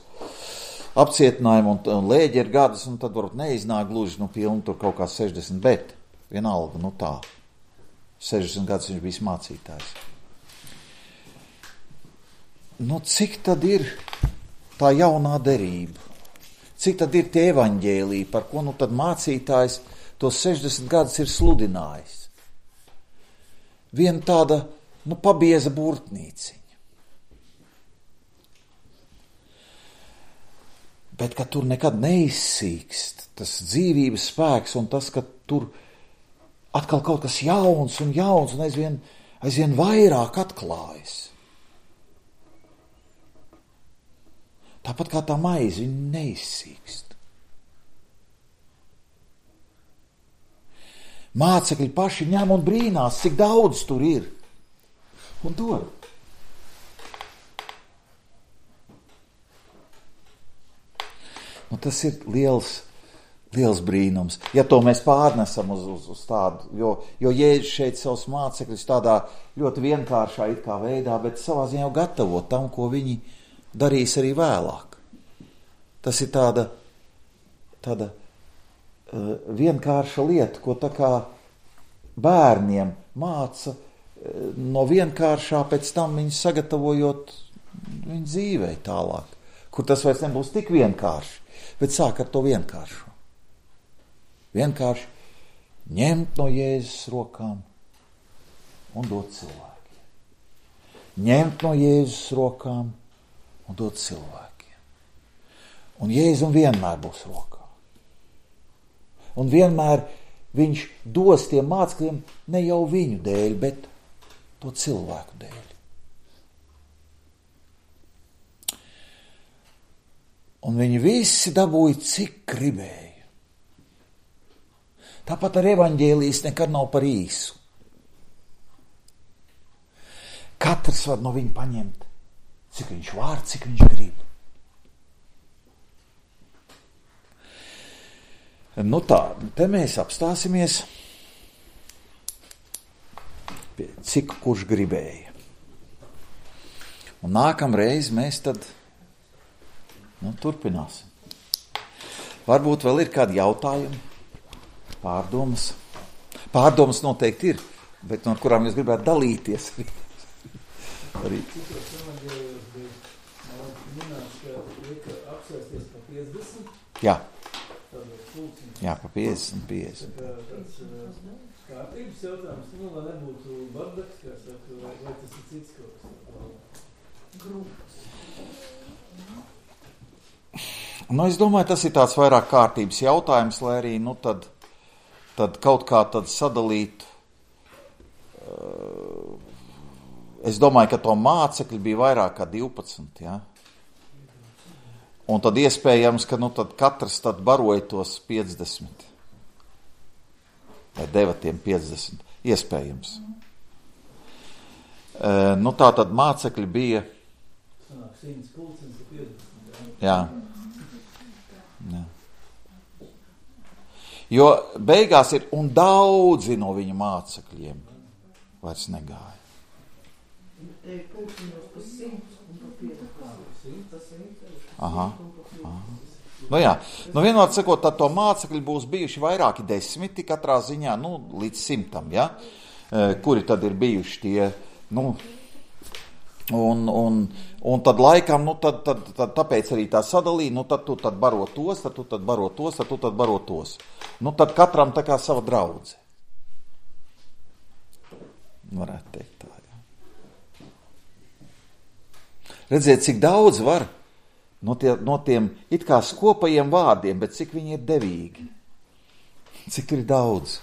apcietinājumu un, un lēģeru gadus, un tad varbūt neiznāk gluži, nu, pilni tur kaut kā sešdesmit, bet vienalga, nu tā, sešdesmit gadus viņš bijis mācītājs. Nu, cik tad ir tā jaunā derība? Cik tad ir tie evaņģēliji, par ko nu tad mācītājs tos sešdesmit gadus ir sludinājis? Viena tāda, nu, pabieza burtnīciņa. Bet, ka tur nekad neizsīkst tas dzīvības spēks un tas, ka tur atkal kaut kas jauns un jauns un aizvien, aizvien vairāk atklājas. Tāpat kā tā maize, viņa neizsīkst. Mācekļi paši ņem un brīnās, cik daudz tur ir. Un dod. Nu, tas ir liels, liels brīnums. Ja to mēs pārnesam uz, uz, uz tādu, jo, jo Jēzus šeit savus mācekļus tādā ļoti vienkāršā it kā veidā, bet savā ziņā jau gatavo tam, ko viņi darīs arī vēlāk. Tas ir tāda, tāda uh, vienkārša lieta, ko tā kā bērniem māca uh, no vienkāršā, pēc tam viņi sagatavojot viņu dzīvei tālāk, kur tas vairs nebūs tik vienkārši, bet sāk ar to vienkāršu. Vienkārši ņemt no Jēzus rokām un dot cilvēkiem. Ņemt no Jēzus rokām un dot cilvēkiem. Un Jēzum vienmēr būs rokā. Un vienmēr viņš dos tiem mācekļiem ne jau viņu dēļ, bet to cilvēku dēļ. Un viņi visi dabūja, cik gribēja. Tāpat ar evaņģēlijas nekad nav par īsu. Katrs var no viņa paņemt, cik viņš var, cik viņš grib. Nu tā, te mēs apstāsimies, cik kurš gribēja. Un nākamreiz mēs tad nu, turpināsim. Varbūt vēl ir kādi jautājumi, pārdomas. Pārdomas noteikti ir, bet no kurām jūs gribētu dalīties. Arī. Jā. Jā, pa piecdesmit, piecdesmit. Kārtības jautājums, nu, lai nebūtu bardaks, kā saka, vai, vai tas ir cits kaut kas? Grupas. Nu, es domāju, tas ir tāds vairāk kārtības jautājums, lai arī, nu, tad, tad kaut kā tad sadalīt. Es domāju, ka to mācekļi bija vairāk kā divpadsmit, jā. Un tad iespējams, ka, nu, tad katrs tad baroja tos piecdesmit. Vai deva tiem piecdesmit. Iespējams. E, nu, tā tad mācekļi bija. Sanāk, simts pulcens ir piecdesmit, jā. Jā. Jo beigās ir, un daudzi no viņa mācekļiem vairs negāja. Aha, aha. Nu jā, nu vienmēr sakot, tad to mācekļi būs bijuši vairāki desmiti katrā ziņā, nu, līdz simtam, ja, kuri tad ir bijuši tie, nu, un, un, un tad laikam, nu, tad, tad, tad tāpēc arī tā sadalīja, nu, tad tu tad baro tos, tad tu tad baro tos, tad tu tad baro tos. Nu, tad katram tā kā sava draudze. Varētu teikt tā, jā. Redziet, cik daudz var no, tie, no tiem it kā skopajiem vārdiem, bet cik viņi ir devīgi. Cik tur ir daudz.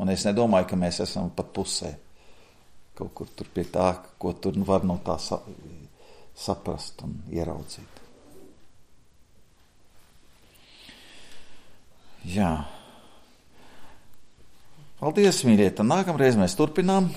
Un es nedomāju, ka mēs esam pat pusē kaut kur tur pie tā, ko tur var no tā sa, saprast un ieraudzīt. Jā. Paldies, mīļie, tad nākamreiz mēs turpinām.